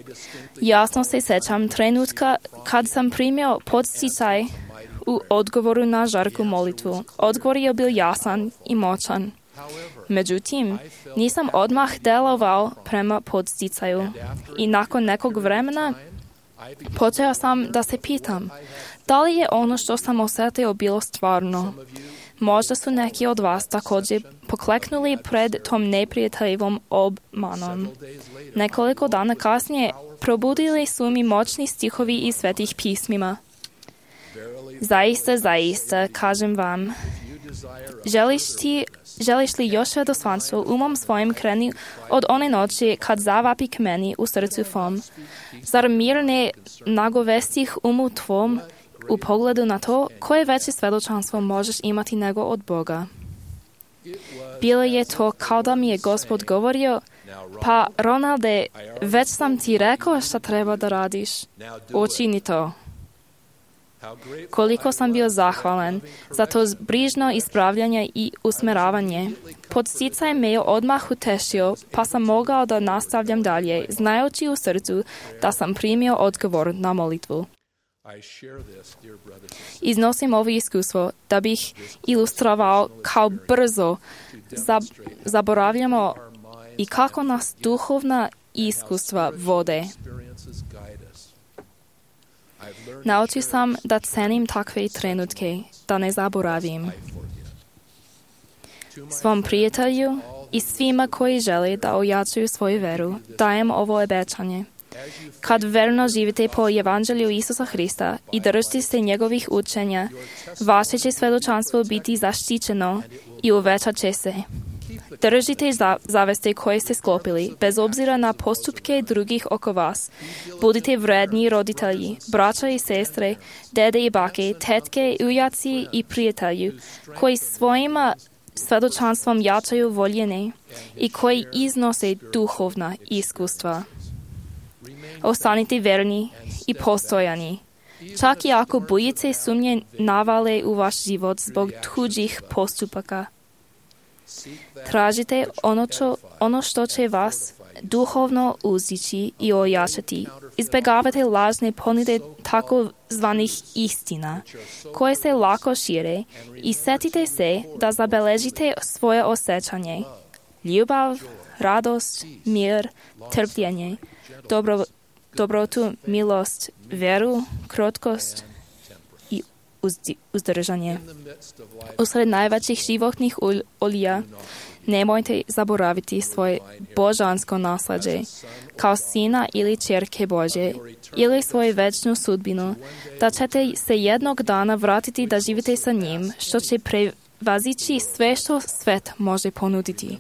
Jasno se sjećam trenutka kad sam primio podsticaj u odgovoru na žarku molitvu. Odgovor je bio jasan i moćan. Međutim, nisam odmah delovao prema podsticaju i nakon nekog vremena počeo sam da se pitam da li je ono što sam osjetio bilo stvarno. Možda su neki od vas također pokleknuli pred tom neprijateljevom obmanom. Nekoliko dana kasnije probudili su mi moćni stihovi iz svetih pismima. Zaista, zaista, kažem vam, želiš ti želiš li još radosvanstvo umom svojim kreni od one noći kad zavapi k meni u srcu tvom? Zar mir ne nagovestih umu tvom u pogledu na to koje veće svjedočanstvo možeš imati nego od Boga? Bilo je to kao da mi je Gospod govorio, pa Ronalde, već sam ti rekao šta treba da radiš. Učini to. Koliko sam bio zahvalan za to brižno ispravljanje i usmeravanje. Podsticaj me je odmah utešio, pa sam mogao da nastavljam dalje, znajući u srcu da sam primio odgovor na molitvu. Iznosim ovo iskustvo da bih ilustrovao kao brzo zaboravljamo i kako nas duhovna iskustva vode. Naučio sam da cenim takve trenutke, da ne zaboravim. Svom prijatelju i svima koji žele da ojačaju svoju veru, dajem ovo obećanje. Kad verno živite po evanđelju Isusa Hrista i držite se njegovih učenja, vaše će svjedočanstvo biti zaštićeno i uvećat će se. Držite zaveste koje ste sklopili, bez obzira na postupke drugih oko vas. Budite vredni roditelji, braća i sestre, dede i bake, tetke, ujaci i prijatelji, koji svojima svjedočanstvom jačaju voljene i koji iznose duhovna iskustva. Ostanite verni i postojani. Čak i ako bujice sumnje navale u vaš život zbog tuđih postupaka. Tražite ono što će vas duhovno uzdići i ojačati. Izbjegavate lažne ponude takozvanih istina, koje se lako šire i setite se da zabeležite svoje osjećanje. Ljubav, radost, mir, trpljenje, dobrotu, milost, veru, krotkost i uzdržanje. Usred najvećih životnih olija nemojte zaboraviti svoje božansko naslađe, kao sina ili ćerke Božje, ili svoju večnu sudbinu, da ćete se jednog dana vratiti da živite sa njim, što će prevazići sve što svet može ponuditi.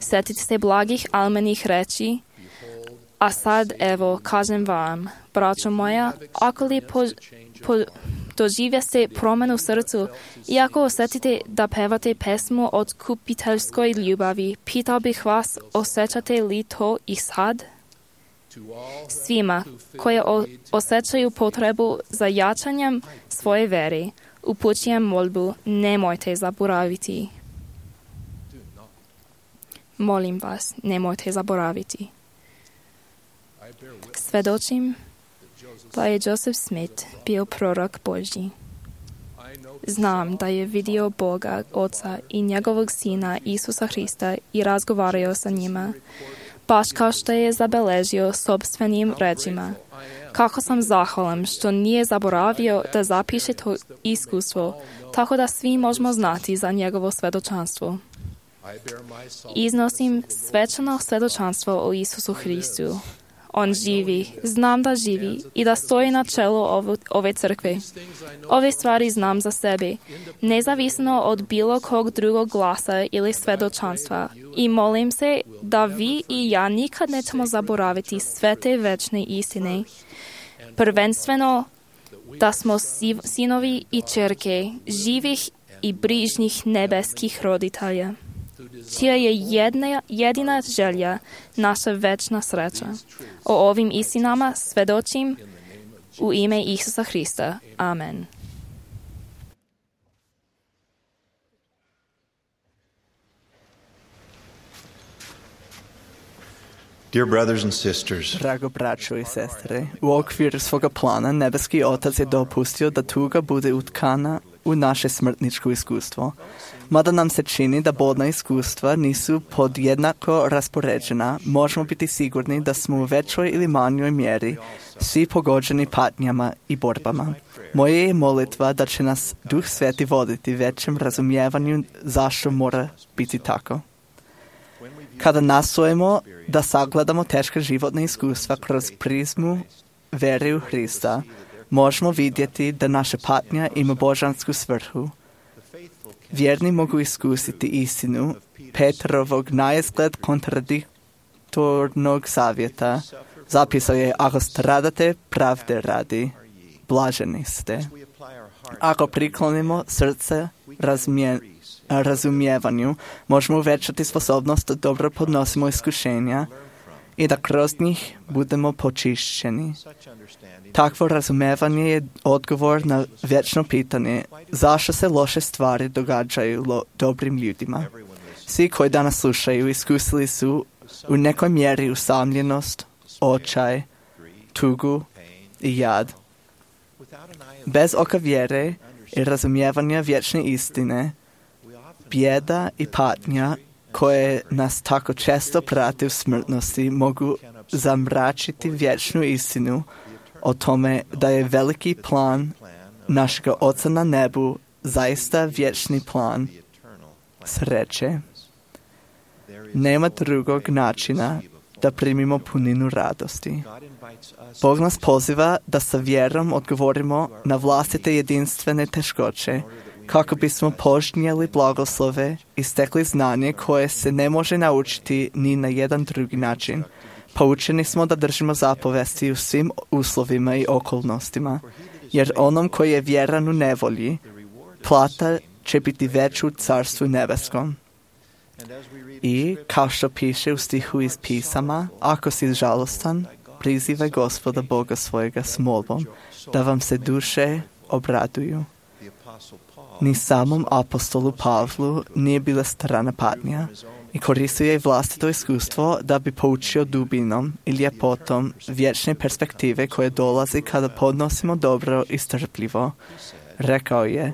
Sjetite se blagih almenih reči, a sad evo kažem vam, braćo moja, ako li doživjeste promjenu u srcu i ako osjetite da pevate pesmu od kupiteljskoj ljubavi, pitao bih vas, osjećate li to i sad? Svima koji osjećaju potrebu za jačanjem svoje vere, upućujem molbu, nemojte zaboraviti. Molim vas, nemojte zaboraviti. Svedočim da je Joseph Smith bio prorok Božji. Znam da je vidio Boga, Oca i njegovog Sina Isusa Hrista i razgovarao sa njima, baš kao što je zabeležio sopstvenim rečima. Kako sam zahvalan što nije zaboravio da zapiše to iskustvo, tako da svi možemo znati za njegovo svedočanstvo. Iznosim svečano svedočanstvo o Isusu Hristu. On živi, znam da živi i da stoji na čelu ove crkve. Ove stvari znam za sebe, nezavisno od bilo kog drugog glasa ili svedočanstva. I molim se da vi i ja nikad nećemo zaboraviti sve te večne istine. Prvenstveno da smo sinovi i ćerke živih i brižnih nebeskih roditelja, čija je jedina želja naša večna sreća. O ovim istinama svedočim u ime Isusa Hrista. Amen. Dear brothers and sisters, Drago braćo i sestre, u okviru svoga plana nebeski Otac je dopustio da tuga bude utkana u naše smrtničko iskustvo. Mada nam se čini da bolna iskustva nisu podjednako raspoređena, možemo biti sigurni da smo u većoj ili manjoj mjeri svi pogođeni patnjama i borbama. Moja je molitva da će nas Duh Sveti voditi većem razumijevanju zašto mora biti tako. Kada nastojimo da sagledamo teška životna iskustva kroz prizmu vere u Hrista, možemo vidjeti da naša patnja ima božansku svrhu. Vjerni mogu iskusiti istinu Petrovog naizgled kontradiktornog savjeta. Zapisao je, ako stradate pravde radi, blaženi ste. Ako priklonimo srce razumijevanju, možemo uvećati sposobnost da dobro podnosimo iskušenja i da kroz njih budemo počišćeni. Takvo razumijevanje je odgovor na vječno pitanje zašto se loše stvari događaju dobrim ljudima. Svi koji danas slušaju iskusili su u nekoj mjeri usamljenost, očaj, tugu i jad. Bez oka vjere i razumijevanja vječne istine, bijeda i patnja koje nas tako često prate u smrtnosti mogu zamračiti vječnu istinu o tome da je veliki plan našega Oca na nebu zaista vječni plan sreće. Nema drugog načina da primimo puninu radosti. Bog nas poziva da sa vjerom odgovorimo na vlastite jedinstvene teškoće, kako bismo požnjeli blagoslove i stekli znanje koje se ne može naučiti ni na jedan drugi način. Poučeni smo da držimo zapovesti u svim uslovima i okolnostima, jer onom koji je vjeran u nevolji, plata će biti veća u carstvu nebeskom. I, kao što piše u stihu iz pisama, ako si žalostan, prizivaj Gospoda Boga svojega s molbom, da vam se duše obraduju. Ni samom apostolu Pavlu nije bila strana patnja i koristio je vlastito iskustvo da bi poučio dubinom i ljepotom vječne perspektive koje dolazi kada podnosimo dobro i strpljivo. Rekao je,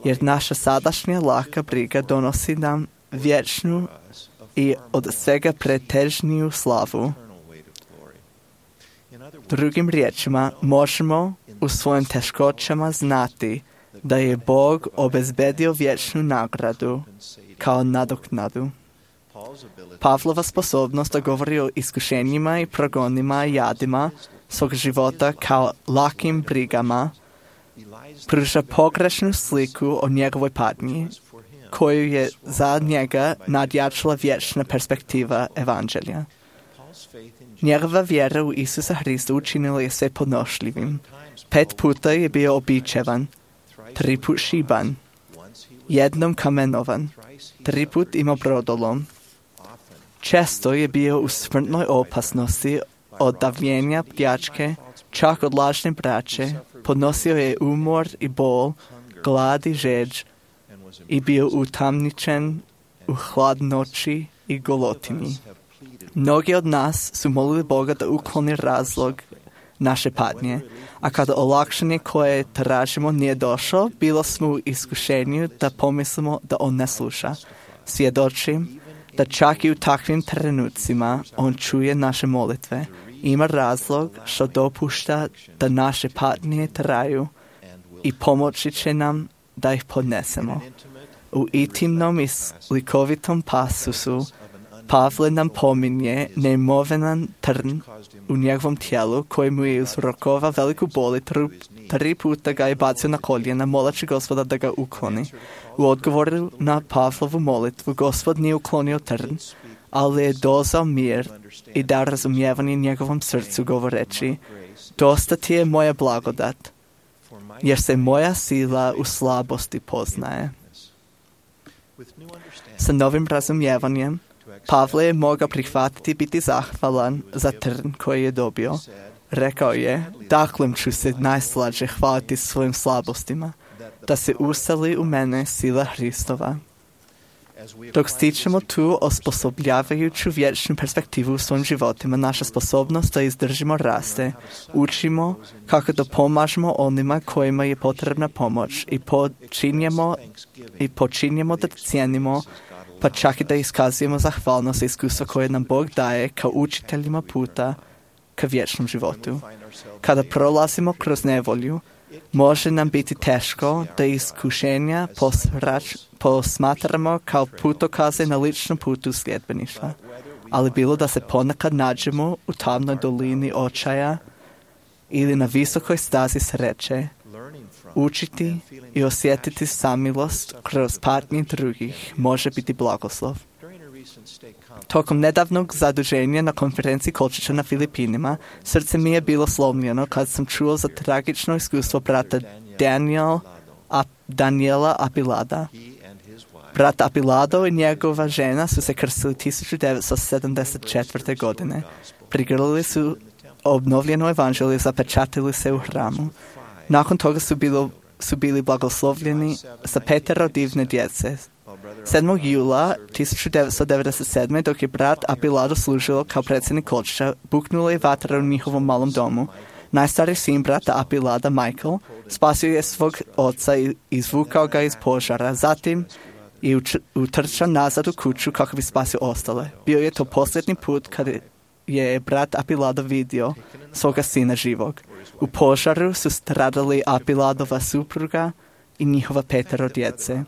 jer naša sadašnja laka briga donosi nam vječnu i od svega pretežniju slavu. Drugim riječima, možemo u svojim teškoćama znati da je Bog obezbedio vječnu nagradu kao nadoknadu. Pavlova sposobnost da govori o iskušenjima i progonima i jadima svog života kao lakim brigama pruža pogrešnu sliku o njegovoj patnji, koju je za njega nadjačala vječna perspektiva evanđelja. Njegova vjera u Isusa Hrista učinila je sve podnošljivim. 5 puta je bio običevan, 3 put šiban, 1 kamenovan, 3 put imao brodolom. Često je bio u smrtnoj opasnosti od davljenja pljačke, čak od lažne braće, podnosio je umor i bol, glad i žeđ i bio utamničen u hladnoći i golotini. Mnogi od nas su molili Boga da ukloni razlog naše patnje, a kada olakšanje koje tražimo nije došlo, bilo smo u iskušenju da pomislimo da on ne sluša. Svjedočim da čak i u takvim trenucima on čuje naše molitve. Ima razlog što dopušta da naše patnje traju i pomoći će nam da ih podnesemo. U intimnom i slikovitom pasusu Pavle nam pominje neimovenan trn u njegovom tijelu koji mu je uzrokovao veliku bol i 3 puta ga je bacio na koljena moleći Gospoda da ga ukloni. U odgovoru na Pavlovu molitvu Gospod nije uklonio trn, ali je dozao mir i dao razumijevanje njegovom srcu govoreći: dosta ti je moja blagodat, jer se moja sila u slabosti poznaje. Sa novim razumijevanjem Pavle je mogao prihvatiti i biti zahvalan za trn koji je dobio. Rekao je, dakle ću se najslađe hvaliti svojim slabostima, da se useli u mene sila Hristova. Dok stičemo tu osposobljavajuću vječnu perspektivu u svojim životima, naša sposobnost da izdržimo raste. Učimo kako da pomažemo onima kojima je potrebna pomoć i počinjemo da cijenimo, pa čak i da iskazujemo zahvalnost i iskustvo koje nam Bog daje kao učiteljima puta ka vječnom životu. Kada prolazimo kroz nevolju, može nam biti teško da iskušenja posmatramo kao putokaze na ličnom putu sljedbeništva. Ali bilo da se ponekad nađemo u tamnoj dolini očaja ili na visokoj stazi sreće, učiti i osjetiti samilost kroz patnje drugih može biti blagoslov. Tokom nedavnog zaduženja na konferenciji Kolčića na Filipinima, srce mi je bilo slomljeno kad sam čuo za tragično iskustvo brata Daniela Apilada. Brat Apilado i njegova žena su se krstili 1974. godine. Prigrlili su obnovljeno evanđelje, zapečatili se u hramu. Nakon toga su bili blagoslovljeni sa 5 divne djece. 7. jula 1997. dok je brat Apilado služilo kao predsjednik Kolčića, buknula je vatra u njihovom malom domu. Najstariji sin brata Apilada, Michael, spasio je svog oca i izvukao ga iz požara. Zatim je utrčao nazad u kuću kako bi spasio ostale. Bio je to posljednji put kad je brat Apilado vidio svoga sina živog. U požaru su stradali Apiladova supruga i njihova 5 djece.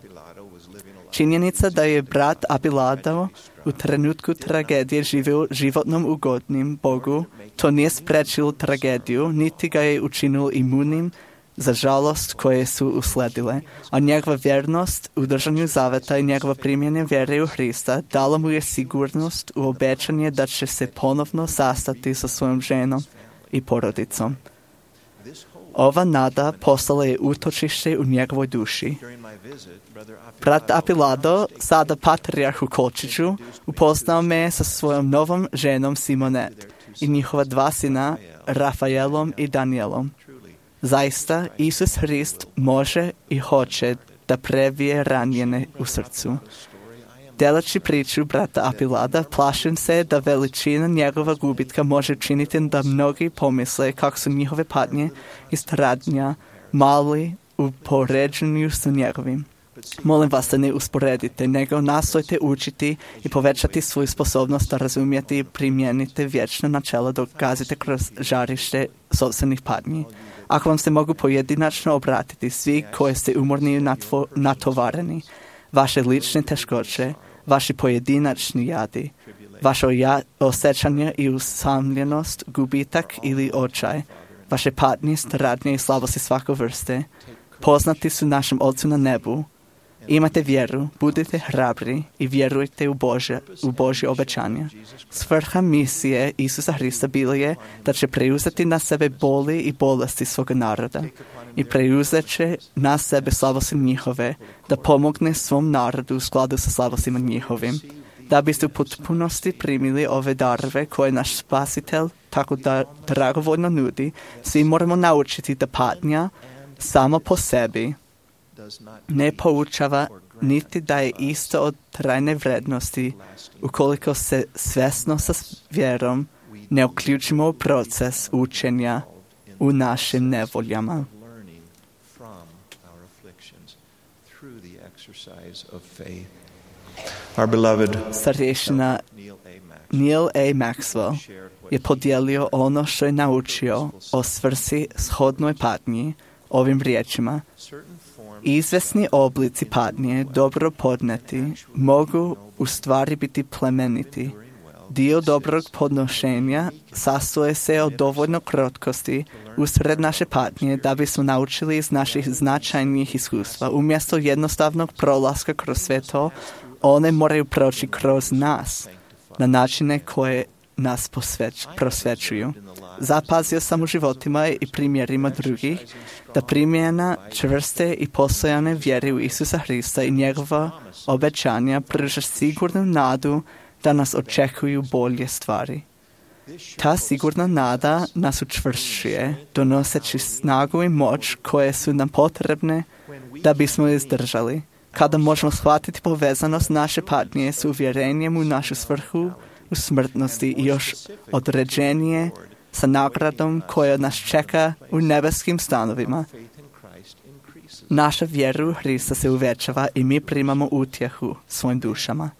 Činjenica da je brat Apilado u trenutku tragedije živio životnom ugodnim Bogu, to nije sprečilo tragediju, niti ga je učinilo imunim za žalost koje su usledile, a njegova vjernost u držanju zaveta i njegova primjena vjere u Hrista dala mu je sigurnost u obećanje da će se ponovno sastati sa svojom ženom i porodicom. Ova nada postala je utočište u njegovoj duši. Brat Apilado, sada patrijarh u Kolčiću, upoznao me sa svojom novom ženom Simonet i njihova 2 sina, Rafaelom i Danielom. Zaista, Isus Hrist može i hoće da previje ranjene u srcu. Delači priču brata Apilada, plašim se da veličina njegova gubitka može učiniti da mnogi pomisle kako su njihove patnje i stradnja mali u poređenju sa njegovim. Molim vas da ne usporedite, nego nastojte učiti i povećati svoju sposobnost da razumijete i primijenite vječna načela dok gazite kroz žarište sopstvenih patnji. Ako vam se mogu pojedinačno obratiti svi koji ste umorni i natovareni, vaše lične teškoće, vaši pojedinačni jadi, vaše osjećanje i usamljenost, gubitak ili očaj, vaše patnje, stradnje i slabosti svake vrste, poznati su našem Otcu na nebu. Imate vjeru, budite hrabri i vjerujte u Božje obećanja. Svrha misije Isusa Hrista bila je da će preuzeti na sebe boli i bolesti svoga naroda i preuzet će na sebe slabosti njihove, da pomogne svom narodu u skladu sa slabostima njihovim. Da biste u potpunosti primili ove darove koje naš Spasitelj tako da dragovoljno nudi, svi moramo naučiti da patnja samo po sebi ne poučava niti da je isto od trajne vrednosti ukoliko se svjesno sa vjerom ne uključimo u proces učenja u našim nevoljama. Our beloved Starješina Neil A. Maxwell je podijelio ono što je naučio o svrsi shodnoj patnji ovim riječima. Izvesni oblici patnje, dobro podneti, mogu u stvari biti plemeniti. Dio dobrog podnošenja sastoje se od dovoljno krotkosti usred naše patnje da bismo naučili iz naših značajnih iskustva. Umjesto jednostavnog prolaska kroz sve to, one moraju proći kroz nas na načine koje nas prosvećuju. Zapazio sam u životima i primjerima drugih da primjena čvrste i postojane vjere u Isusa Hrista i njegova obećanja pruža sigurnu nadu da nas očekuju bolje stvari. Ta sigurna nada nas učvršćuje, donoseći snagu i moć koje su nam potrebne da bismo izdržali. Kada možemo shvatiti povezanost naše patnje s uvjerenjem u našu svrhu u smrtnosti i još određenije sa nagradom koja nas čeka u nebeskim stanovima. Naša vjera u Hrista se uvećava i mi primamo utjehu svojim dušama.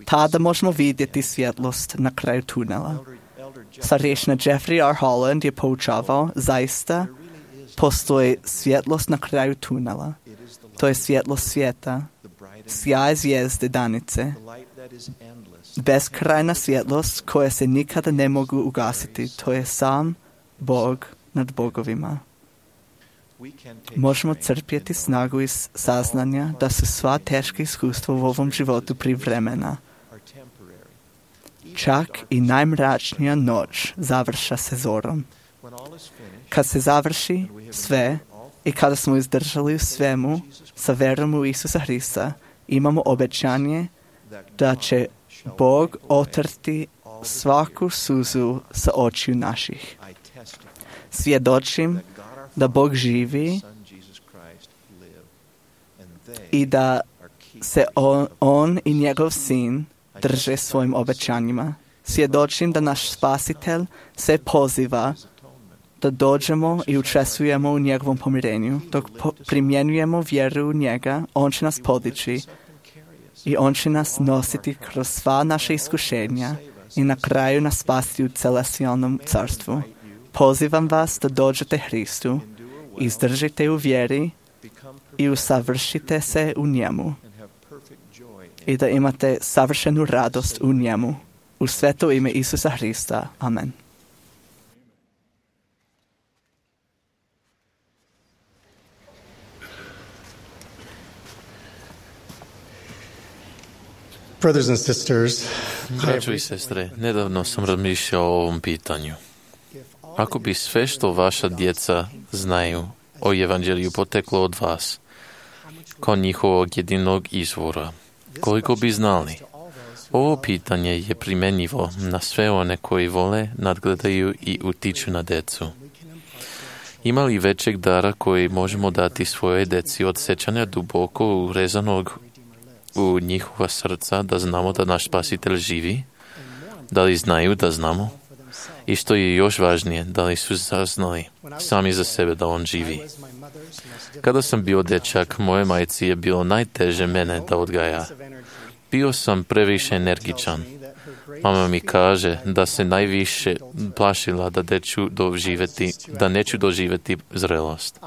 Tada možemo vidjeti svjetlost na kraju tunela. Starješina Jeffrey R. Holland je poučavao, zaista postoji svjetlost na kraju tunela. To je svjetlost svijeta, sjaj zvijezde danice, beskrajna svjetlost koja se nikada ne mogu ugasiti. To je sam Bog nad bogovima. Možemo crpjeti snagu iz saznanja da su sva teška iskustva u ovom životu privremena. Čak i najmračnija noć završa se zorom. Kad se završi sve i kada smo izdržali u svemu sa verom u Isusa Hrista, imamo obećanje da će Bog otrti svaku suzu sa očiju naših. Svjedočim da Bog živi i da se on i njegov sin drže svojim obećanjima. Svjedočim da naš Spasitelj se poziva da dođemo i učestvujemo u njegovom pomirenju. Dok primjenjujemo vjeru u njega, on će nas podići i on će nas nositi kroz sva naša iskušenja i na kraju nas spasti u celestijalnom carstvu. Pozivam vas da dođete Hristu, izdržite u vjeri i usavršite se u njemu i da imate savršenu radost u njemu. U sveto ime Isusa Hrista. Amen. Brothers and sisters, Braćo i sestre, nedavno sam razmišljao o ovom pitanju. Ako bi sve što vaša djeca znaju o evanđelju poteklo od vas, kao njihovog jedinog izvora, koliko bi znali? Ovo pitanje je primjenjivo na sve one koji vole, nadgledaju i utiču na decu. Ima li većeg dara koji možemo dati svojoj deci od sjećanja duboko urezanog u njihova srca da znamo da naš Spasitelj živi? Da li znaju da znamo? I što je još važnije, da li su saznali sami za sebe da on živi? Kada sam bio dječak, moje majci je bilo najteže mene da odgaja. Bio sam previše energičan. Mama mi kaže da se najviše plašila da neću doživjeti zrelost.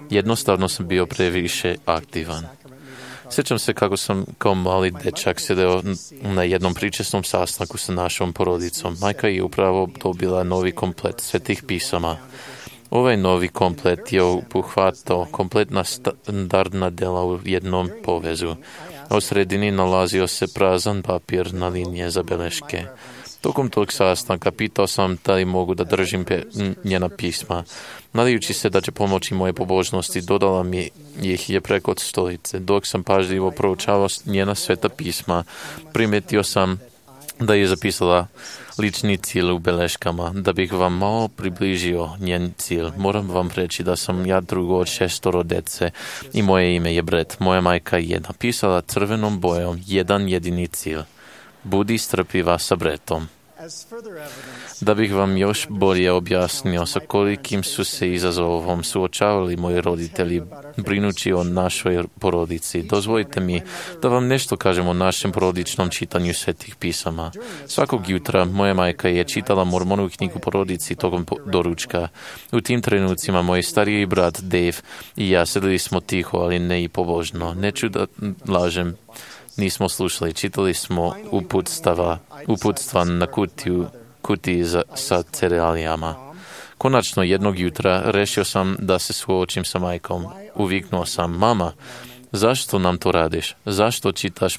Jednostavno sam bio previše aktivan. Sjećam se kako sam kao mali dečak sjedeo na jednom pričesnom sastanku sa našom porodicom. Majka je upravo dobila novi komplet svetih pisama. Ovaj novi komplet je obuhvatao kompletna standardna dela u jednom povezu. A u sredini nalazio se prazan papir na linije za beleške. Tokom tog sastanka pitao sam da li mogu da držim njena pisma. Nadajući se da će pomoći moje pobožnosti, dodala mi ih je preko stolice. Dok sam pažljivo proučavao njena sveta pisma, primijetio sam da je zapisala lični cilj u beleškama. Da bih vam malo približio njen cilj, moram vam reći da sam ja drugo od 6 dece i moje ime je Brett. Moja majka je napisala crvenom bojom jedan jedini cilj. Budi strpljiva sa Brettom. Da bih vam još bolje objasnio sa kolikim su se izazovom suočavali moji roditelji brinući o našoj porodici, dozvolite mi da vam nešto kažem o našem porodičnom čitanju svetih pisama. Svakog jutra moja majka je čitala Mormonovu knjigu porodici tokom doručka. U tim trenucima moj stariji brat Dave i ja sedeli smo tiho, ali ne i pobožno. Neću da lažem, nismo slušali, čitali smo uputstva na kutiji sa cerealijama. Konačno jednog jutra rešio sam da se suočim sa majkom. Uviknuo sam: mama, zašto nam to radiš? Zašto čitaš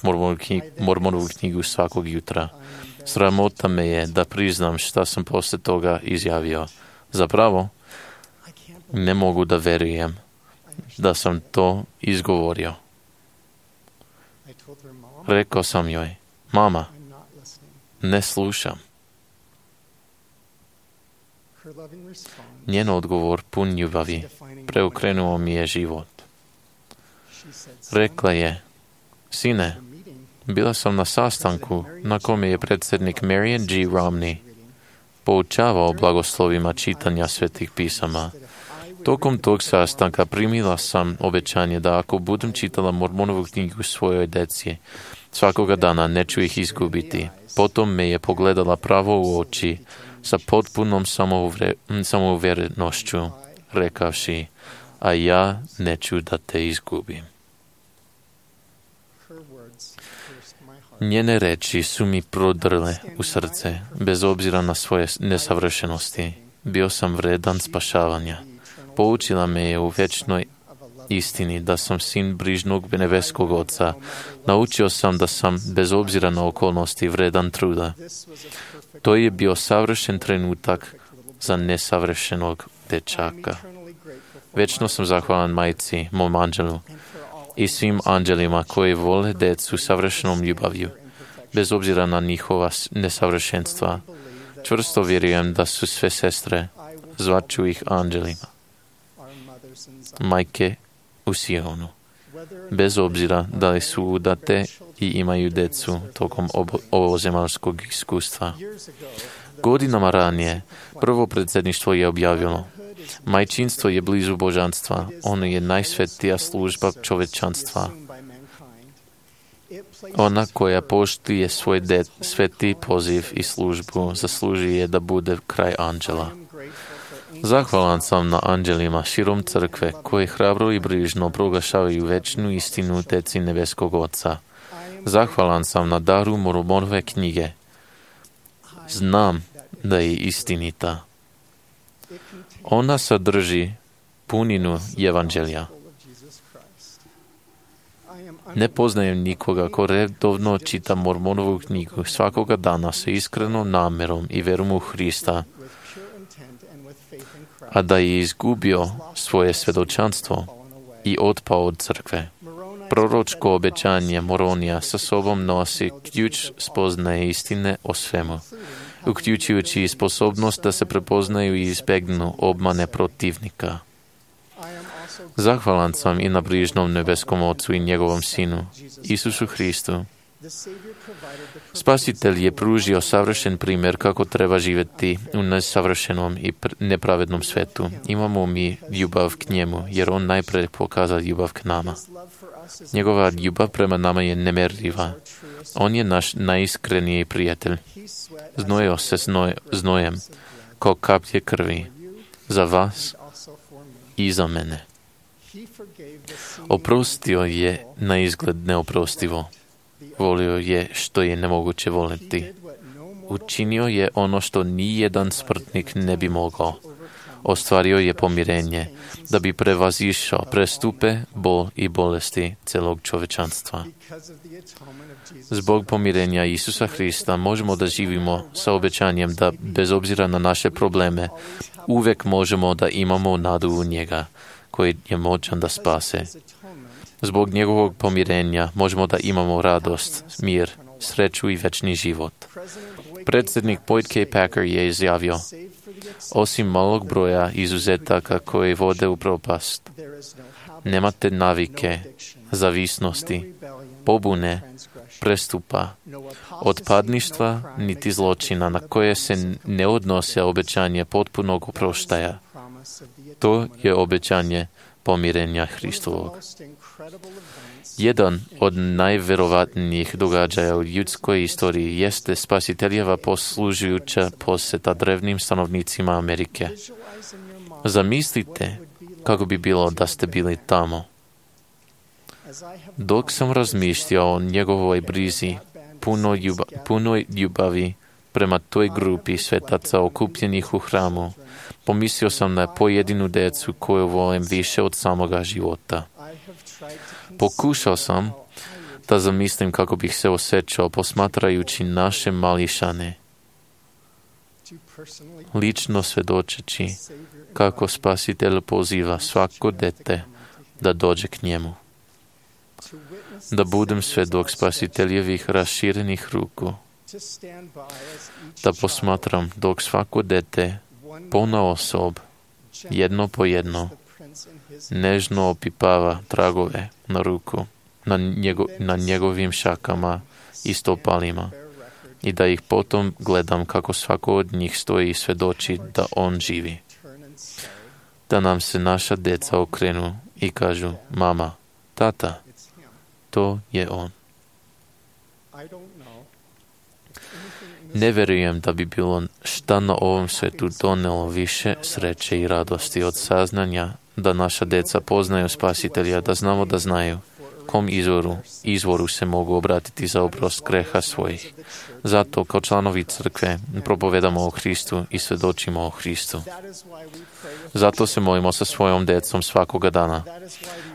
Mormonovu knjigu svakog jutra? Sramota me je da priznam šta sam posle toga izjavio. Zapravo, ne mogu da verujem da sam to izgovorio. Rekao sam joj: mama, ne slušam. Njen odgovor pun ljubavi preokrenuo mi je život. Rekla je: sine, bila sam na sastanku na kome je predsjednik Marion G. Romney poučavao blagoslovima čitanja svetih pisama. Tokom tog sastanka primila sam obećanje da ako budem čitala Mormonovu knjigu svojoj deci, svakoga dana neću ih izgubiti. Potom me je pogledala pravo u oči sa potpunom samouvjerenošću, rekavši: a ja neću da te izgubim. Njene reči su mi prodrle u srce, bez obzira na svoje nesavršenosti. Bio sam vredan spašavanja. Poučila me je u večnoj istini da sam sin brižnog nebeskog Oca. Naučio sam da sam, bez obzira na okolnosti, vredan truda. To je bio savršen trenutak za nesavršenog dečaka. Večno sam zahvalan majci, mom anđelu, i svim anđelima koji vole decu savršenom ljubavlju, bez obzira na njihova nesavršenstva. Čvrsto vjerujem da su sve sestre, zvaću ih anđelima, majke u Sionu, bez obzira da li su udate i imaju decu tokom ovozemaljskog iskustva. Godinama ranije, prvo predsjedništvo je objavilo: majčinstvo je blizu božanstva, ono je najsvetija služba čovečanstva. Ona koja poštuje svoj sveti poziv i službu zaslužuje da bude kraj anđela. Zahvalan sam na anđelima širom crkve koji hrabro i brižno proglašavaju večnu istinu deci nebeskog Oca. Zahvalan sam na daru Mormonove knjige. Znam da je istinita. Ona sadrži puninu evanđelja. Ne poznajem nikoga ko redovno čita Mormonovu knjigu svakoga dana sa iskrenom namerom i verom u Hrista, a da je izgubio svoje svjedočanstvo i otpao od crkve. Proročko obećanje Moronija sa sobom nosi ključ spoznaje istine o svemu, uključujući i sposobnost da se prepoznaju i izbjegnu obmane protivnika. Zahvalan sam i na brižnom nebeskom Ocu i njegovom Sinu, Isusu Hristu. Spasitelj je pružio savršen primjer kako treba živjeti u nesavršenom i nepravednom svetu. Imamo mi ljubav k njemu, jer on najprije pokazao ljubav k nama. Njegova ljubav prema nama je nemjerljiva. On je naš najiskreniji prijatelj. Znojio se znojem, kao kaplje krvi, za vas i za mene. Oprostio je na izgled neoprostivo. Volio je što je nemoguće voliti. Učinio je ono što nijedan smrtnik ne bi mogao. Ostvario je pomirenje, da bi prevazišao prestupe, bol i bolesti celog čovečanstva. Zbog pomirenja Isusa Hrista možemo da živimo sa obećanjem da, bez obzira na naše probleme, uvijek možemo da imamo nadu u njega, koji je moćan da spase. Zbog njegovog pomirenja možemo da imamo radost, mir, sreću i večni život. Predsjednik Boyd K. Packer je izjavio: osim malog broja izuzetaka koji vode u propast, nemate navike, zavisnosti, pobune, prestupa, otpadništva niti zločina na koje se ne odnose obećanje potpunog oproštaja. To je obećanje pomirenja Hristovog. Jedan od najverovatnijih događaja u ljudskoj istoriji jeste spasiteljeva poslužujuća posjeta drevnim stanovnicima Amerike. Zamislite kako bi bilo da ste bili tamo. Dok sam razmišljao o njegovoj brizi, punoj ljubavi prema toj grupi svetaca okupljenih u hramu, pomislio sam na pojedinu decu koju volim više od samoga života. Pokušao sam da zamislim kako bih se osjećao posmatrajući naše mališane, lično svjedočeći kako Spasitelj poziva svako dete da dođe k njemu. Da budem svjedok Spasiteljevih raširenih ruku, da posmatram dok svako dete ponaosob, jedno po jedno, nežno opipava tragove na ruku, na njegovim šakama i stopalima, i da ih potom gledam kako svako od njih stoji i svjedoči da on živi. Da nam se naša deca okrenu i kažu: mama, tata, to je on. Ne vjerujem da bi bilo šta na ovom svijetu donelo više sreće i radosti od saznanja da naša deca poznaju Spasitelja, da znamo da znaju kom izvoru se mogu obratiti za oprost greha svojih. Zato kao članovi crkve propovedamo o Hristu i svjedočimo o Hristu. Zato se molimo sa svojom decom svakoga dana.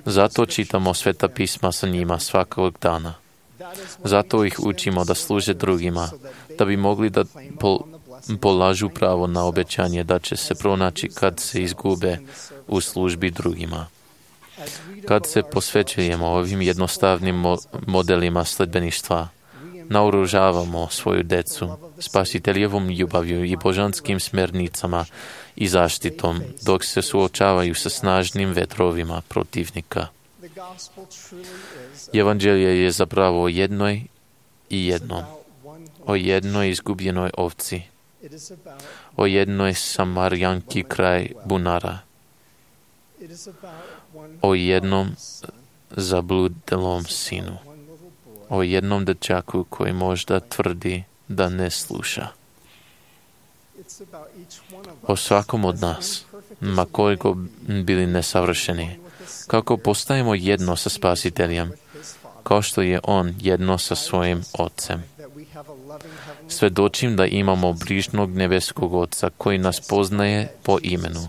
Zato čitamo sveta pisma sa njima svakog dana. Zato ih učimo da služe drugima, da bi mogli da polažu pravo na obećanje da će se pronaći kad se izgube u službi drugima. Kad se posvećujemo ovim jednostavnim modelima sledbeništva, naoružavamo svoju decu spasiteljevom ljubavlju i božanskim smernicama i zaštitom, dok se suočavaju sa snažnim vetrovima protivnika. Evanđelje je zapravo o jednoj i jednom, o jednoj izgubljenoj ovci, o jednoj Samarjanki kraj bunara, o jednom zabludelom sinu, o jednom dečaku koji možda tvrdi da ne sluša. O svakom od nas, ma koliko bili nesavršeni, kako postajemo jedno sa Spasiteljem, kao što je On jedno sa svojim Otcem. Svedočim da imamo brižnog nebeskog Oca koji nas poznaje po imenu.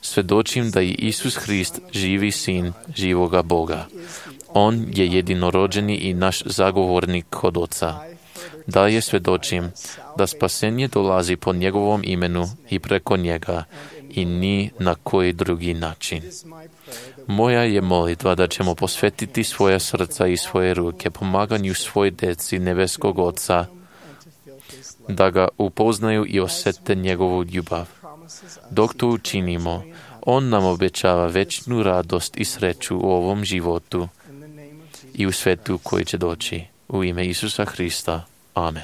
Svedočim da je Isus Hrist živi sin živoga Boga. On je jedinorođeni i naš zagovornik kod Oca. Dalje svedočim da spasenje dolazi po njegovom imenu i preko njega i ni na koji drugi način. Moja je molitva da ćemo posvetiti svoja srca i svoje ruke pomaganju svoj deci nebeskog Oca, da ga upoznaju i osjete njegovu ljubav. Dok to učinimo, On nam obećava večnu radost i sreću u ovom životu i u svetu koji će doći. U ime Isusa Hrista. Amen.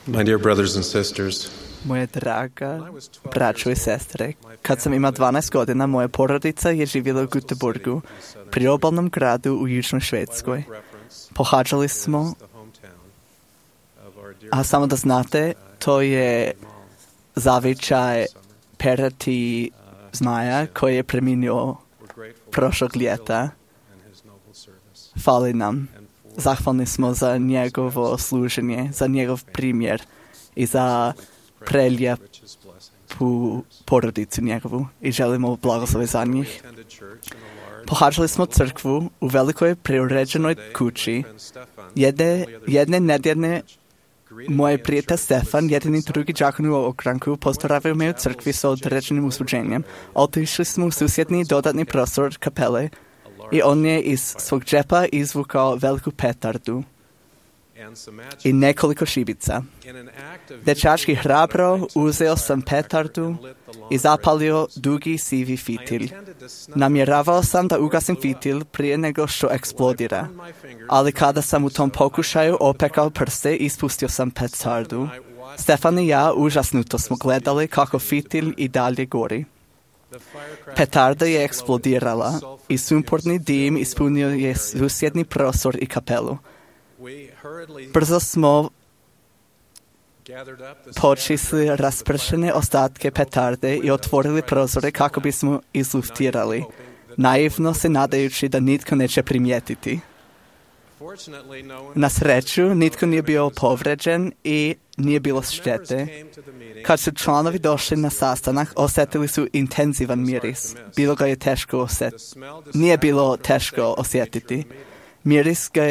My dear brothers and sisters, Moja draga braćo i sestre, kad sam imao 12 godina, moja porodica je živjela u Göteborgu, priobalnom gradu u Južnoj Švedskoj. Pohađali smo, a samo da znate, to je zavičaj perati zmaja koji je preminuo prošlog ljeta. Fali nam. Zahvalni smo za njegovo služenje, za njegov primjer i za preljepu porodicu njegovu i želimo blagoslove za njih. Pohađali smo crkvu u velikoj preuređenoj kući. Jedne nedjeljne moj prijatelj Stefan, jedini drugi đakon u ogranku, pozdravio me u crkvi sa određenim usluženjem. Otišli smo u susjedni dodatni prostor kapele i on je iz svog džepa izvukao veliku petardu i nekoliko šibica. Dečački hrabro uzeo sam petardu i zapalio dugi sivi fitilj. Namjeravao sam da ugasim fitilj prije nego što eksplodira, ali kada sam u tom pokušaju opekao prste, ispustio sam petardu. Stefan i ja užasnuto smo gledali kako fitilj i dalje gori. Petarda je eksplodirala i sumporni dim ispunio je susjedni prostor i kapelu. Brzo smo počistili raspršene ostatke petarde i otvorili prozore kako bismo izluftirali, naivno se nadajući da nitko neće primijetiti. Na sreću, nitko nije bio povređen i nije bilo štete. Kad su članovi došli na sastanak, osjetili su intenzivan miris. Nije bilo teško osjetiti. Miris ga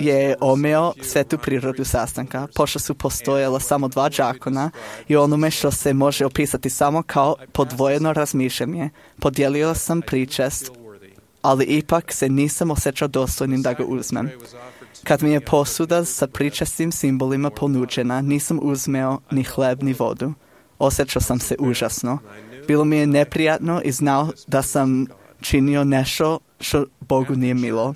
je omeo svetu prirodu sastanka, pošto su postojala samo 2 đakona i onome što se može opisati samo kao podvojeno razmišljanje. Podijelio sam pričest, ali ipak se nisam osjećao dostojnim da ga uzmem. Kad mi je posuda sa pričestim simbolima ponuđena, nisam uzmeo ni hleb ni vodu. Osjećao sam se užasno. Bilo mi je neprijatno i znao da sam činio nešto što Bogu nije milo.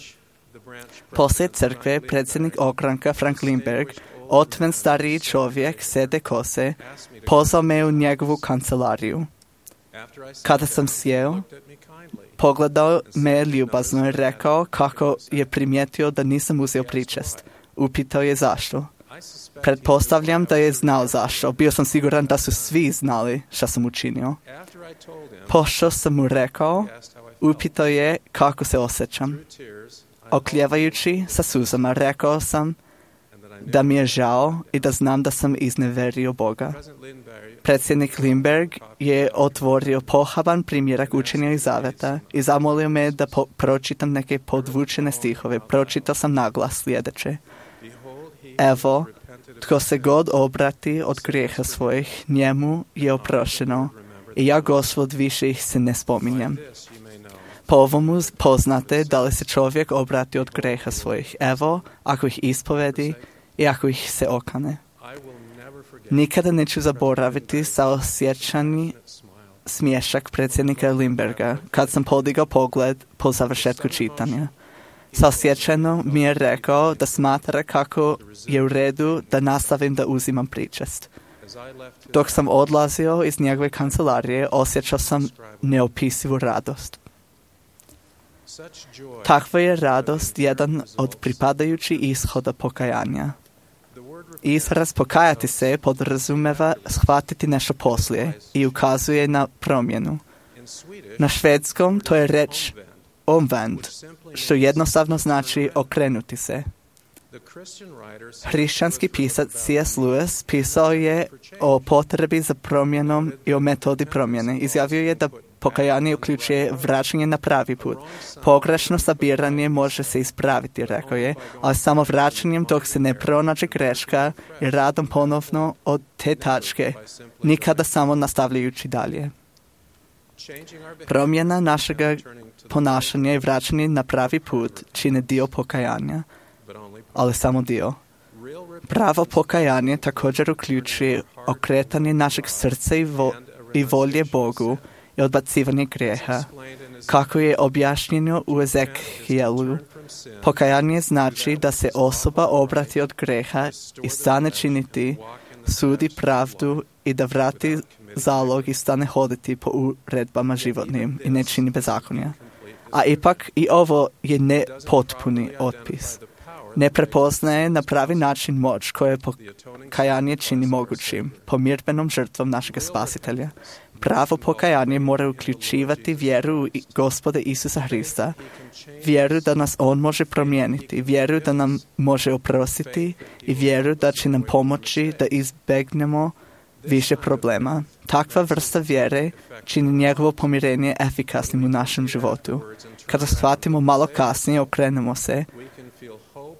Poslije crkve, predsjednik ogranka Frank Lindberg, otven stariji čovjek, sede kose, pozvao me u njegovu kancelariju. Kada sam sjeo, pogledao me ljubazno i rekao kako je primijetio da nisam uzeo pričest. Upitao je zašto. Pretpostavljam da je znao zašto. Bio sam siguran da su svi znali što sam učinio. Pošto sam mu rekao, upitao je kako se osjećam. Okljevajući sa suzama, rekao sam da mi je žao i da znam da sam izneverio Boga. Predsjednik Lindberg je otvorio pohaban primjerak učenja i zaveta i zamolio me da pročitam neke podvučene stihove. Pročitao sam naglas sljedeće. Evo, tko se god obrati od grijeha svojih, njemu je oprošteno i ja, Gospod, više ih se ne spominjem. Po ovomu poznate da li se čovjek obrati od grijeha svojih. Evo, ako ih ispovedi i ako ih se okane. Nikada neću zaboraviti saosjećani smiješak predsjednika Lindberga kad sam podigao pogled po završetku čitanja. Saosjećano mi je rekao da smatra kako je u redu da nastavim da uzimam pričest. Dok sam odlazio iz njegove kancelarije, osjećao sam neopisivu radost. Takva je radost jedan od pripadajućih ishoda pokajanja. Izraz pokajati se podrazumeva shvatiti nešto poslije i ukazuje na promjenu. Na švedskom to je reč omvänd, što jednostavno znači okrenuti se. Hrišćanski pisac C.S. Lewis pisao je o potrebi za promjenom i o metodi promjene. Izjavio je da pokajanje uključuje vraćanje na pravi put. Pogrešno sabiranje može se ispraviti, rekao je, ali samo vraćanjem dok se ne pronađe greška i radom ponovno od te tačke, nikada samo nastavljajući dalje. Promjena našega ponašanja i vraćanje na pravi put čine dio pokajanja, ali samo dio. Pravo pokajanje također uključuje okretanje našeg srca i volje Bogu i odbacivanje grijeha. Kako je objašnjeno u Ezekijelu, pokajanje znači da se osoba obrati od grijeha i stane činiti sudi pravdu i da vrati zalog i stane hoditi po uredbama životnim i ne čini bezakonja. A ipak i ovo je nepotpuni otpis. Ne prepoznaje na pravi način moć koje pokajanje čini mogućim, pomirbenom žrtvom našeg spasitelja. Pravo pokajanje mora uključivati vjeru u Gospoda Isusa Hrista, vjeru da nas On može promijeniti, vjeru da nam može oprostiti i vjeru da će nam pomoći da izbegnemo više problema. Takva vrsta vjere čini njegovo pomirenje efikasnim u našem životu. Kada shvatimo malo kasnije, okrenemo se,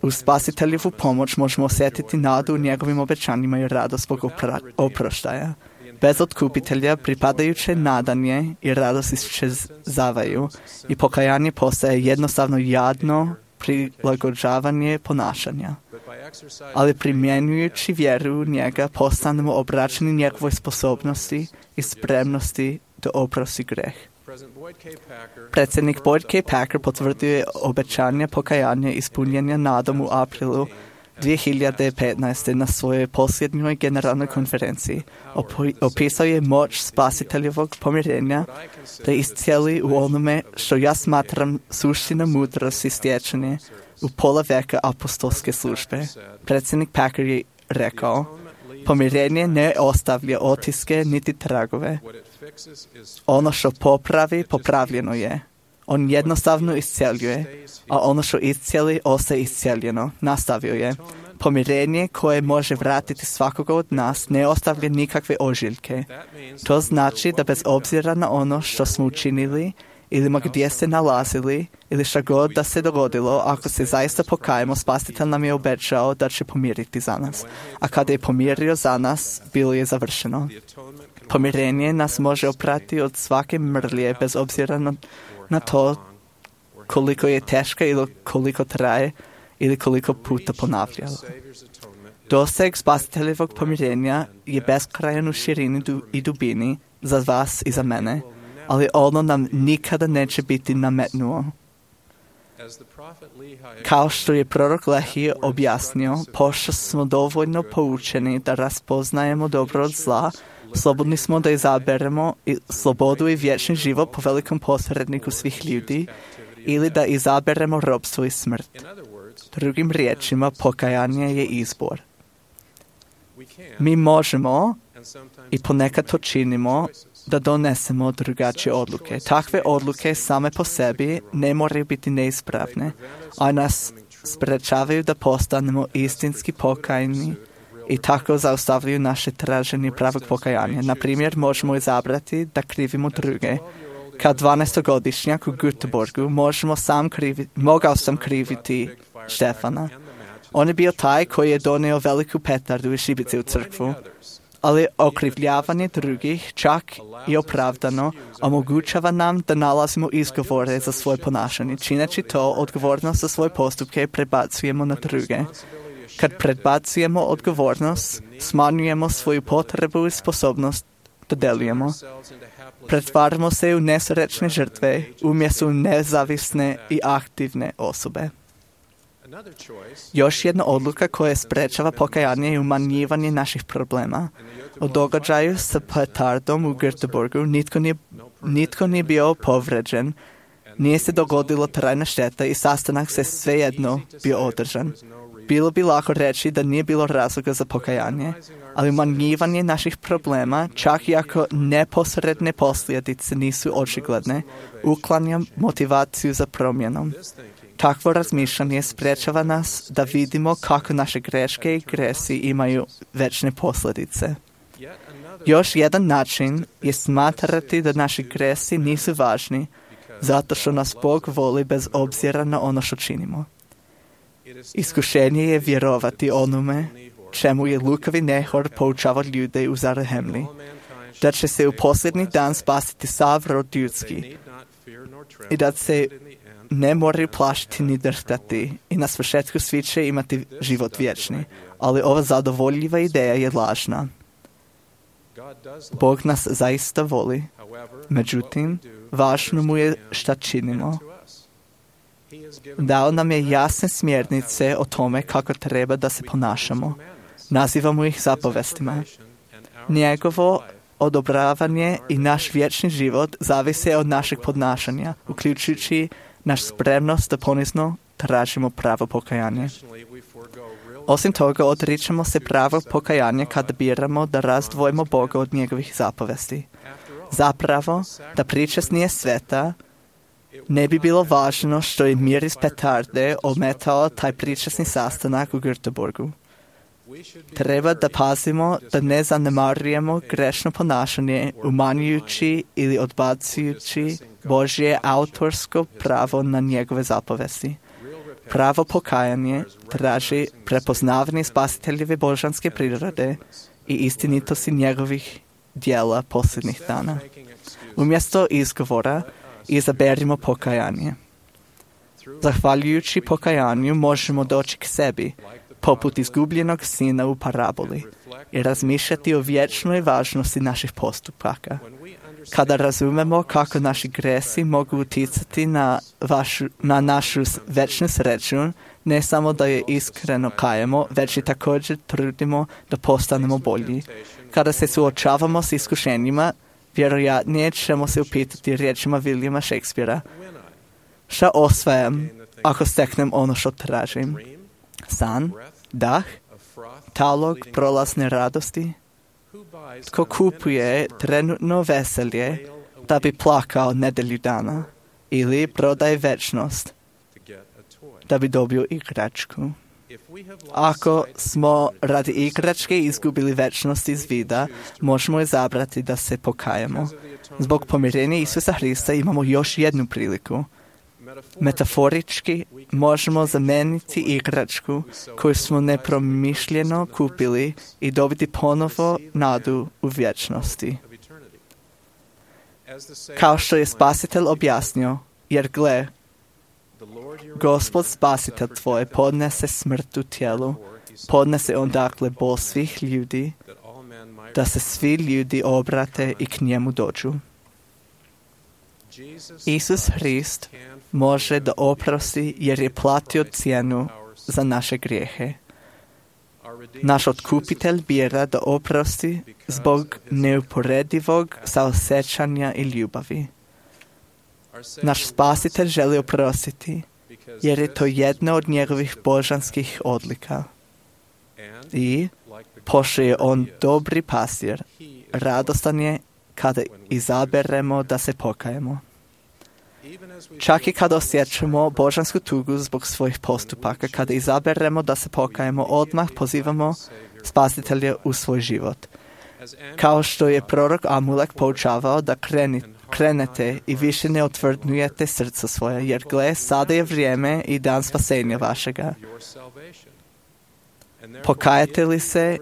u spasiteljevu pomoć možemo osjetiti nadu u njegovim obećanjima i radost zbog oproštaja. Bez otkupitelja pripadajuće nadanje i radost iščezavaju i pokajanje postaje jednostavno jadno prilagođavanje ponašanja. Ali primjenjujući vjeru u njega postanemo obraćeni njegovoj sposobnosti i spremnosti da oprosti greh. Predsjednik Boyd K. Packer potvrdio je obećanje pokajanja ispunjenja nadom u aprilu 2015. na svojoj posljednjoj generalnoj konferenciji. Opisao je moć spasiteljevog pomirenja da iscijeli u onome što ja smatram suština mudrosti stječene u pola veka apostolske službe. Predsjednik Packer je rekao, pomirenje ne ostavlja otiske niti tragove. Ono što popravi, popravljeno je. On jednostavno iscjeljuje, a ono što iscijeli, ostaje iscijeljeno. Nastavio je. Pomirenje koje može vratiti svakoga od nas ne ostavlja nikakve ožiljke. To znači da bez obzira na ono što smo učinili ili gdje se nalazili ili šta god da se dogodilo, ako se zaista pokajemo, spasitelj nam je obećao da će pomiriti za nas. A kada je pomirio za nas, bilo je završeno. Pomirenje nas može oprati od svake mrlje bez obzira na to koliko je teška ili koliko traje ili koliko puta ponavljalo. Doseg spasiteljevog pomirenja je beskrajan u širini i dubini za vas i za mene, ali ono nam nikada neće biti nametnuo. Kao što je prorok Lehi objasnio, pošto smo dovoljno poučeni da raspoznajemo dobro od zla, slobodni smo da izaberemo slobodu i vječni život po velikom posredniku svih ljudi ili da izaberemo ropstvo i smrt. Drugim riječima, pokajanje je izbor. Mi možemo, i ponekad to činimo, da donesemo drugačije odluke. Takve odluke same po sebi ne moraju biti neispravne, a nas sprečavaju da postanemo istinski pokajni i tako zaustavljaju naše traženje pravog pokajanja. Na primjer, možemo izabrati da krivimo druge. Kao 12-godišnjak u Göteborgu mogao sam kriviti Štefana. On je bio taj koji je donio veliku petardu i šibice u crkvu. Ali okrivljavanje drugih, čak i opravdano, omogućava nam da nalazimo izgovore za svoje ponašanje. Čineći to, odgovornost za svoje postupke prebacujemo na druge. Kad predbacujemo odgovornost, smanjujemo svoju potrebu i sposobnost da delujemo. Pretvaramo se u nesrećne žrtve umjesto u nezavisne i aktivne osobe. Još jedna odluka koja sprečava pokajanje je umanjivanje naših problema. U događaju sa petardom u Göteborgu nitko nije bio povređen, nije se dogodila trajna šteta i sastanak se svejedno bio održan. Bilo bi lako reći da nije bilo razloga za pokajanje, ali umanjivanje naših problema, čak i ako neposredne posljedice nisu očigledne, uklanja motivaciju za promjenom. Takvo razmišljanje sprečava nas da vidimo kako naše greške i gresi imaju večne posljedice. Još jedan način je smatrati da naši gresi nisu važni, zato što nas Bog voli bez obzira na ono što činimo. Iskušenje je vjerovati onome čemu je lukavi Nehor poučavao ljude u Zarahemli, da će se u posljednji dan spasiti sav rod ljudski i da se ne moraju plašiti ni drhtati i na svršetku svi će imati život vječni. Ali ova zadovoljiva ideja je lažna. Bog nas zaista voli, međutim, važno mu je šta činimo. Dao nam je jasne smjernice o tome kako treba da se ponašamo. Nazivamo ih zapovestima. Njegovo odobravanje i naš vječni život zavise od našeg podnašanja, uključujući naš spremnost da ponizno tražimo pravo pokajanje. Osim toga, odričemo se pravo pokajanja kada biramo da razdvojimo Boga od njegovih zapovesti. Zapravo, da pričest nije sveta, ne bi bilo važno što je miris petarde ometao taj pričesni sastanak u Göteborgu. Treba da pazimo da ne zanemarujemo grešno ponašanje, umanjujući ili odbacujući Božje autorsko pravo na njegove zapovesti. Pravo pokajanje traži prepoznavanje spasiteljeve božanske prirode i istinitosti njegovih dijela posljednjih dana. Umjesto izgovora, izaberimo pokajanje. Zahvaljujući pokajanju možemo doći k sebi, poput izgubljenog sina u paraboli, i razmišljati o vječnoj važnosti naših postupaka. Kada razumemo kako naši gresi mogu utjecati na našu večnu sreću, ne samo da je iskreno kajemo, već i također trudimo da postanemo bolji. Kada se suočavamo s iskušenjima, vjerojatnije ćemo se upitati riječima Williama Shakespearea: šta osvajam ako steknem ono što tražim? San, dah, talog prolazne radosti? Tko kupuje trenutno veselje da bi plakao nedelju dana, ili prodaje večnost da bi dobio igračku? Ako smo radi igračke izgubili večnost iz vida, možemo izabrati da se pokajemo. Zbog pomirenja Isusa Hrista imamo još jednu priliku. Metaforički možemo zameniti igračku koju smo nepromišljeno kupili i dobiti ponovo nadu u vječnosti. Kao što je Spasitelj objasnio, jer gle, Gospod Spasitelj tvoj podnese smrt u tijelu, podnese on dakle bol svih ljudi, da se svi ljudi obrate i k njemu dođu. Isus Hrist može da oprosti jer je platio cijenu za naše grijehe. Naš otkupitelj bira da oprosti zbog neuporedivog saosjećanja i ljubavi. Naš Spasitelj želi oprostiti jer je to jedna od njegovih božanskih odlika. I, pošto je on dobri pastir, radostan je kada izaberemo da se pokajemo. Čak i kada osjećamo božansku tugu zbog svojih postupaka, kada izaberemo da se pokajemo, odmah pozivamo Spasitelja u svoj život. Kao što je prorok Amulek poučavao da krenete i više ne otvrdnujete srca svoja, jer gle, sada je vrijeme i dan spasenja vašega. Pokajete li se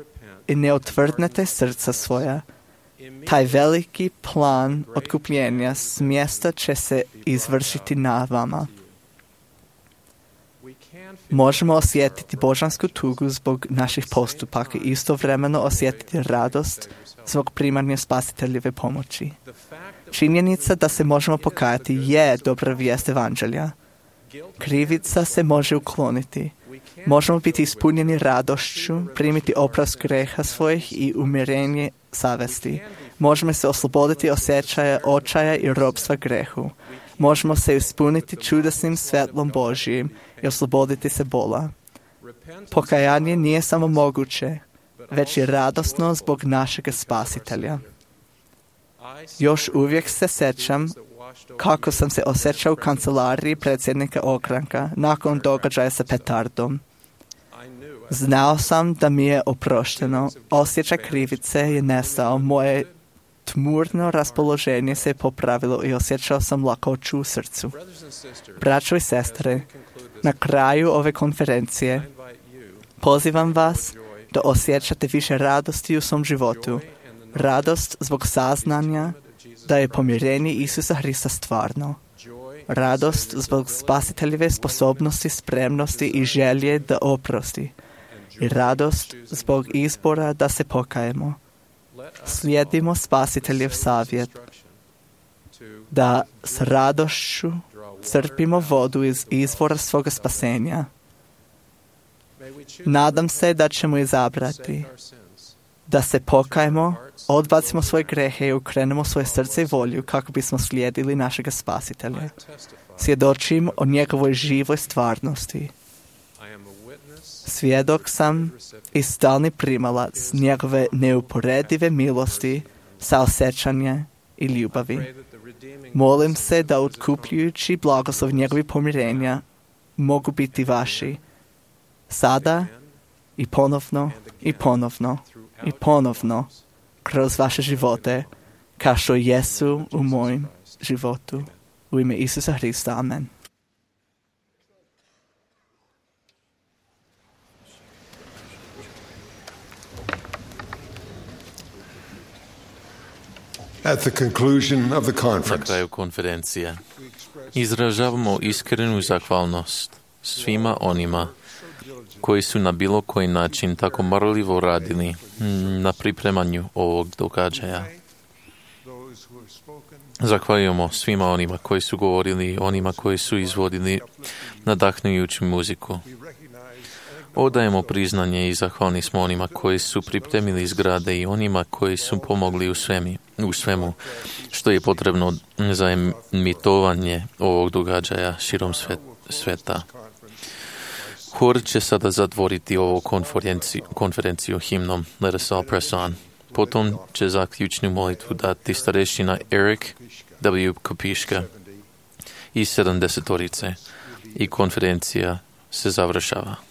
i ne otvrdnete srca svoja, taj veliki plan otkupljenja s mjesta će se izvršiti na vama. Možemo osjetiti božansku tugu zbog naših postupaka i istovremeno osjetiti radost zbog primanja Spasiteljeve pomoći. Činjenica da se možemo pokajati je dobra vijest evanđelja. Krivica se može ukloniti. Možemo biti ispunjeni radošću, primiti oprost greha svojih i umirenje savesti. Možemo se osloboditi osjećaja očaja i robstva grehu. Možemo se ispuniti čudesnim svjetlom Božjim i osloboditi se bola. Pokajanje nije samo moguće, već i radosno zbog našeg Spasitelja. Još uvijek se sjećam kako sam se osjećao u kancelariji predsjednika ogranka nakon događaja sa petardom. Znao sam da mi je oprošteno, osjećaj krivice je nestao, moje tmurno raspoloženje se je popravilo i osjećao sam lakoću u srcu. Braćo i sestre, na kraju ove konferencije pozivam vas da osjećate više radosti u svom životu, radost zbog saznanja da je pomirenje Isusa Hrista stvarno, radost zbog Spasiteljeve sposobnosti, spremnosti i želje da oprosti, i radost zbog izbora da se pokajemo. Slijedimo Spasiteljev savjet da s radošću crpimo vodu iz izvora svoga spasenja. Nadam se da ćemo izabrati da se pokajemo, odbacimo svoje grehe i ukrenemo svoje srce i volju kako bismo slijedili našega Spasitelja. Svjedočim o njegovoj živoj stvarnosti. Svjedok sam i stalni primalac njegove neuporedive milosti, saosjećanja i ljubavi. Molim se da otkupljujući blagoslov njegovih pomirenja mogu biti vaši sada i ponovno i ponovno i ponovno kroz vaše živote, kao što jesu u mojem životu. U ime Isusa Hrista. Amen. At the conclusion of the Na conference, kraju konferencije izražavamo iskrenu zahvalnost svima onima koji su na bilo koji način tako marljivo radili na pripremanju ovog događaja. Zahvaljujemo svima onima koji su govorili, onima koji su izvodili nadahnujuću muziku. Odajemo priznanje i zahvalni smo onima koji su pripremili zgrade i onima koji su pomogli u svemu što je potrebno za emitovanje ovog događaja širom sveta. Hor će sada zatvoriti ovu konferenciju himnom Let us all press on. Potom će zaključnu molitvu dati starešina Eric W. Kopiška i 70-torice i konferencija se završava.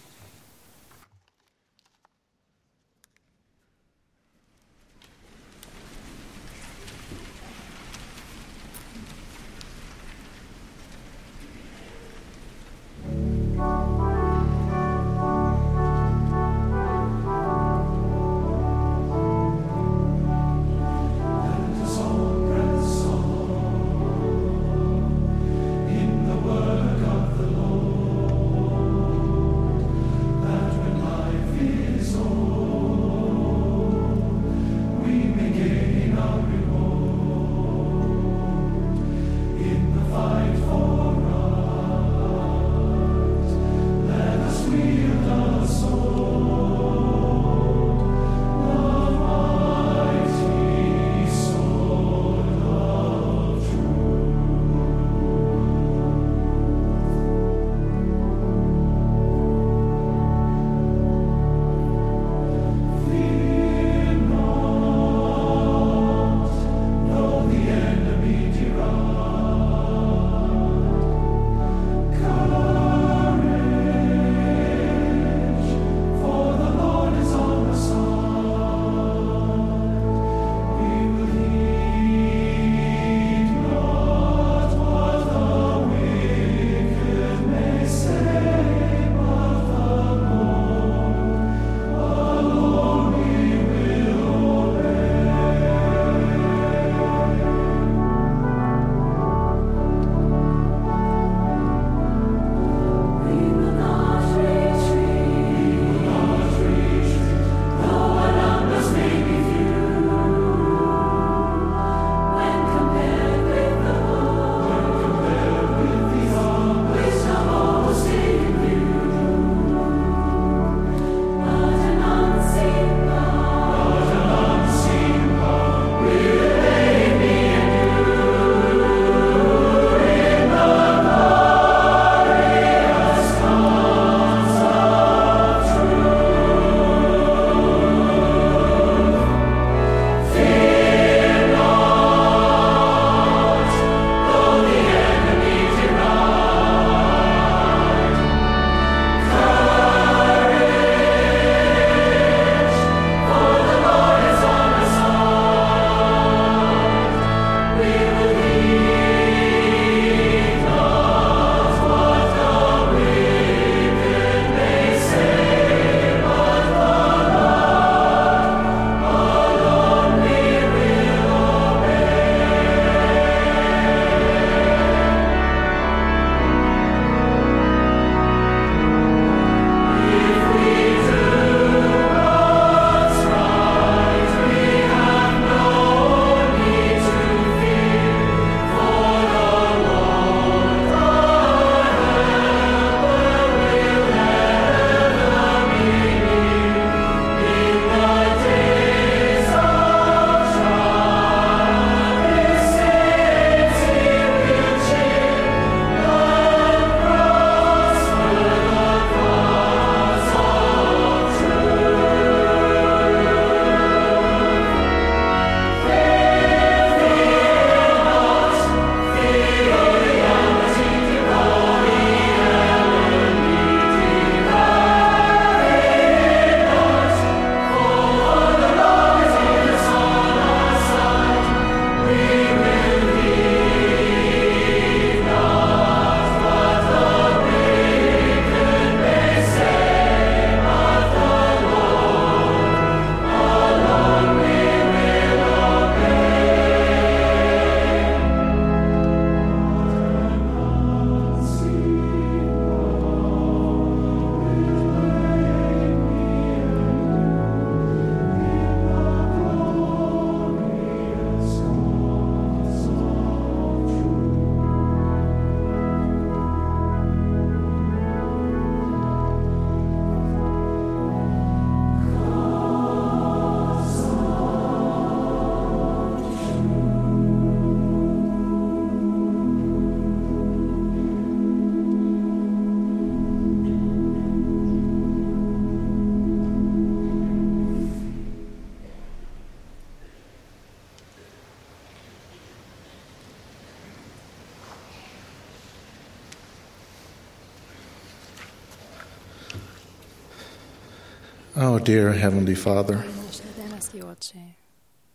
Oh, dear Heavenly Father, Naš nebeski Oče,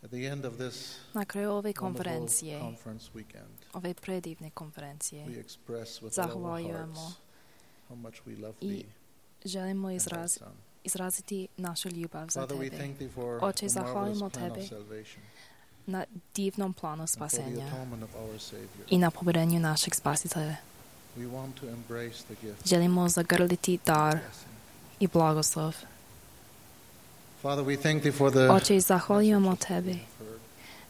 at the end of this na kraju ove wonderful konferencije, conference weekend, ove predivne konferencije, we express with all our zahvaljujemo hearts how much we love i Thee želimo and Thy Son. izraziti našu ljubav za Father, we Tebe. thank Thee for Oče, the marvelous zahvalimo plan of Tebi salvation na divnom planu and for the spasenja atonement of our Savior. i na pomirenju našeg Spasitelja. We want to embrace the gift Želimo zagrliti dar of blessing. i blagoslov. Father, we thank Thee for the Oče, zahvaljujemo Tebi message we've heard.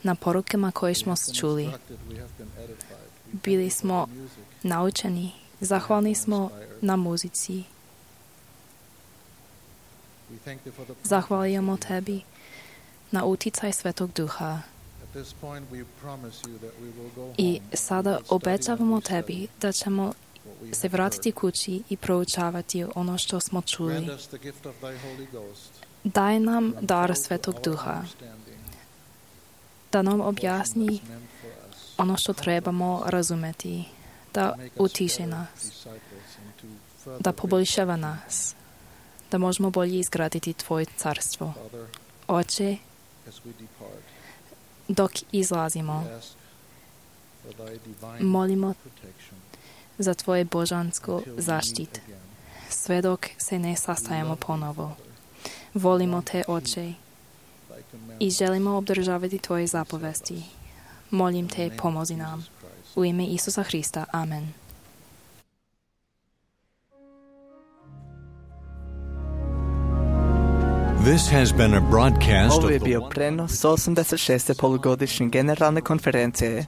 na porukama koje We smo have been čuli. instructed, we have been edified. We thank Bili Thee for smo the music naučeni, zahvalni smo na muzici. We thank Thee for the Zahvaljujemo promise that Tebi na uticaj Svetog Duha. At this point we promise You that we will go home I and sada we will study obećavamo and Tebi restudy da ćemo what we se have vratiti heard. kući i proučavati ono što smo čuli. Grant us the gift of Thy Holy Ghost Daj nam to dar unfold Svetog our Duha, understanding da nam portion objasni that's meant for us, ono što trebamo razumeti, da to make us utiše better nas, disciples and to further da bring poboljšava forth nas, da možemo bolje izgraditi Tvoje carstvo. Father, Oče, as we depart, dok izlazimo, we ask for Thy divine molimo protection za Tvoje božansko until we meet zaštit, again. sve dok se ne We sastajemo love Thee, ponovo. Father. Volimo Te, Oče, Thy i commandments. želimo obdržavati Tvoje zapovesti. Molim Te, pomozi nam. U ime Isusa Hrista. Amen. This has been a broadcast Ovo je of the bio prenos 86. polugodišnje generalne konferencije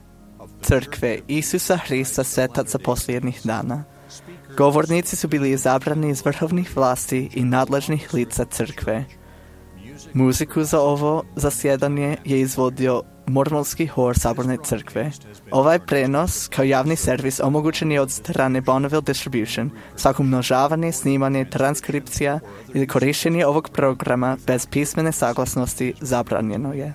Crkve Isusa Hrista Svetaca posljednjih dana. Govornici su bili izabrani iz vrhovnih vlasti i nadležnih lica Crkve. Muziku za ovo zasjedanje je izvodio Mormolski hor Saborne Crkve. Ovaj prenos kao javni servis omogućen je od strane Bonneville Distribution. Svako umnožavanje, snimanje, transkripcija ili korištenje ovog programa bez pismene saglasnosti zabranjeno je.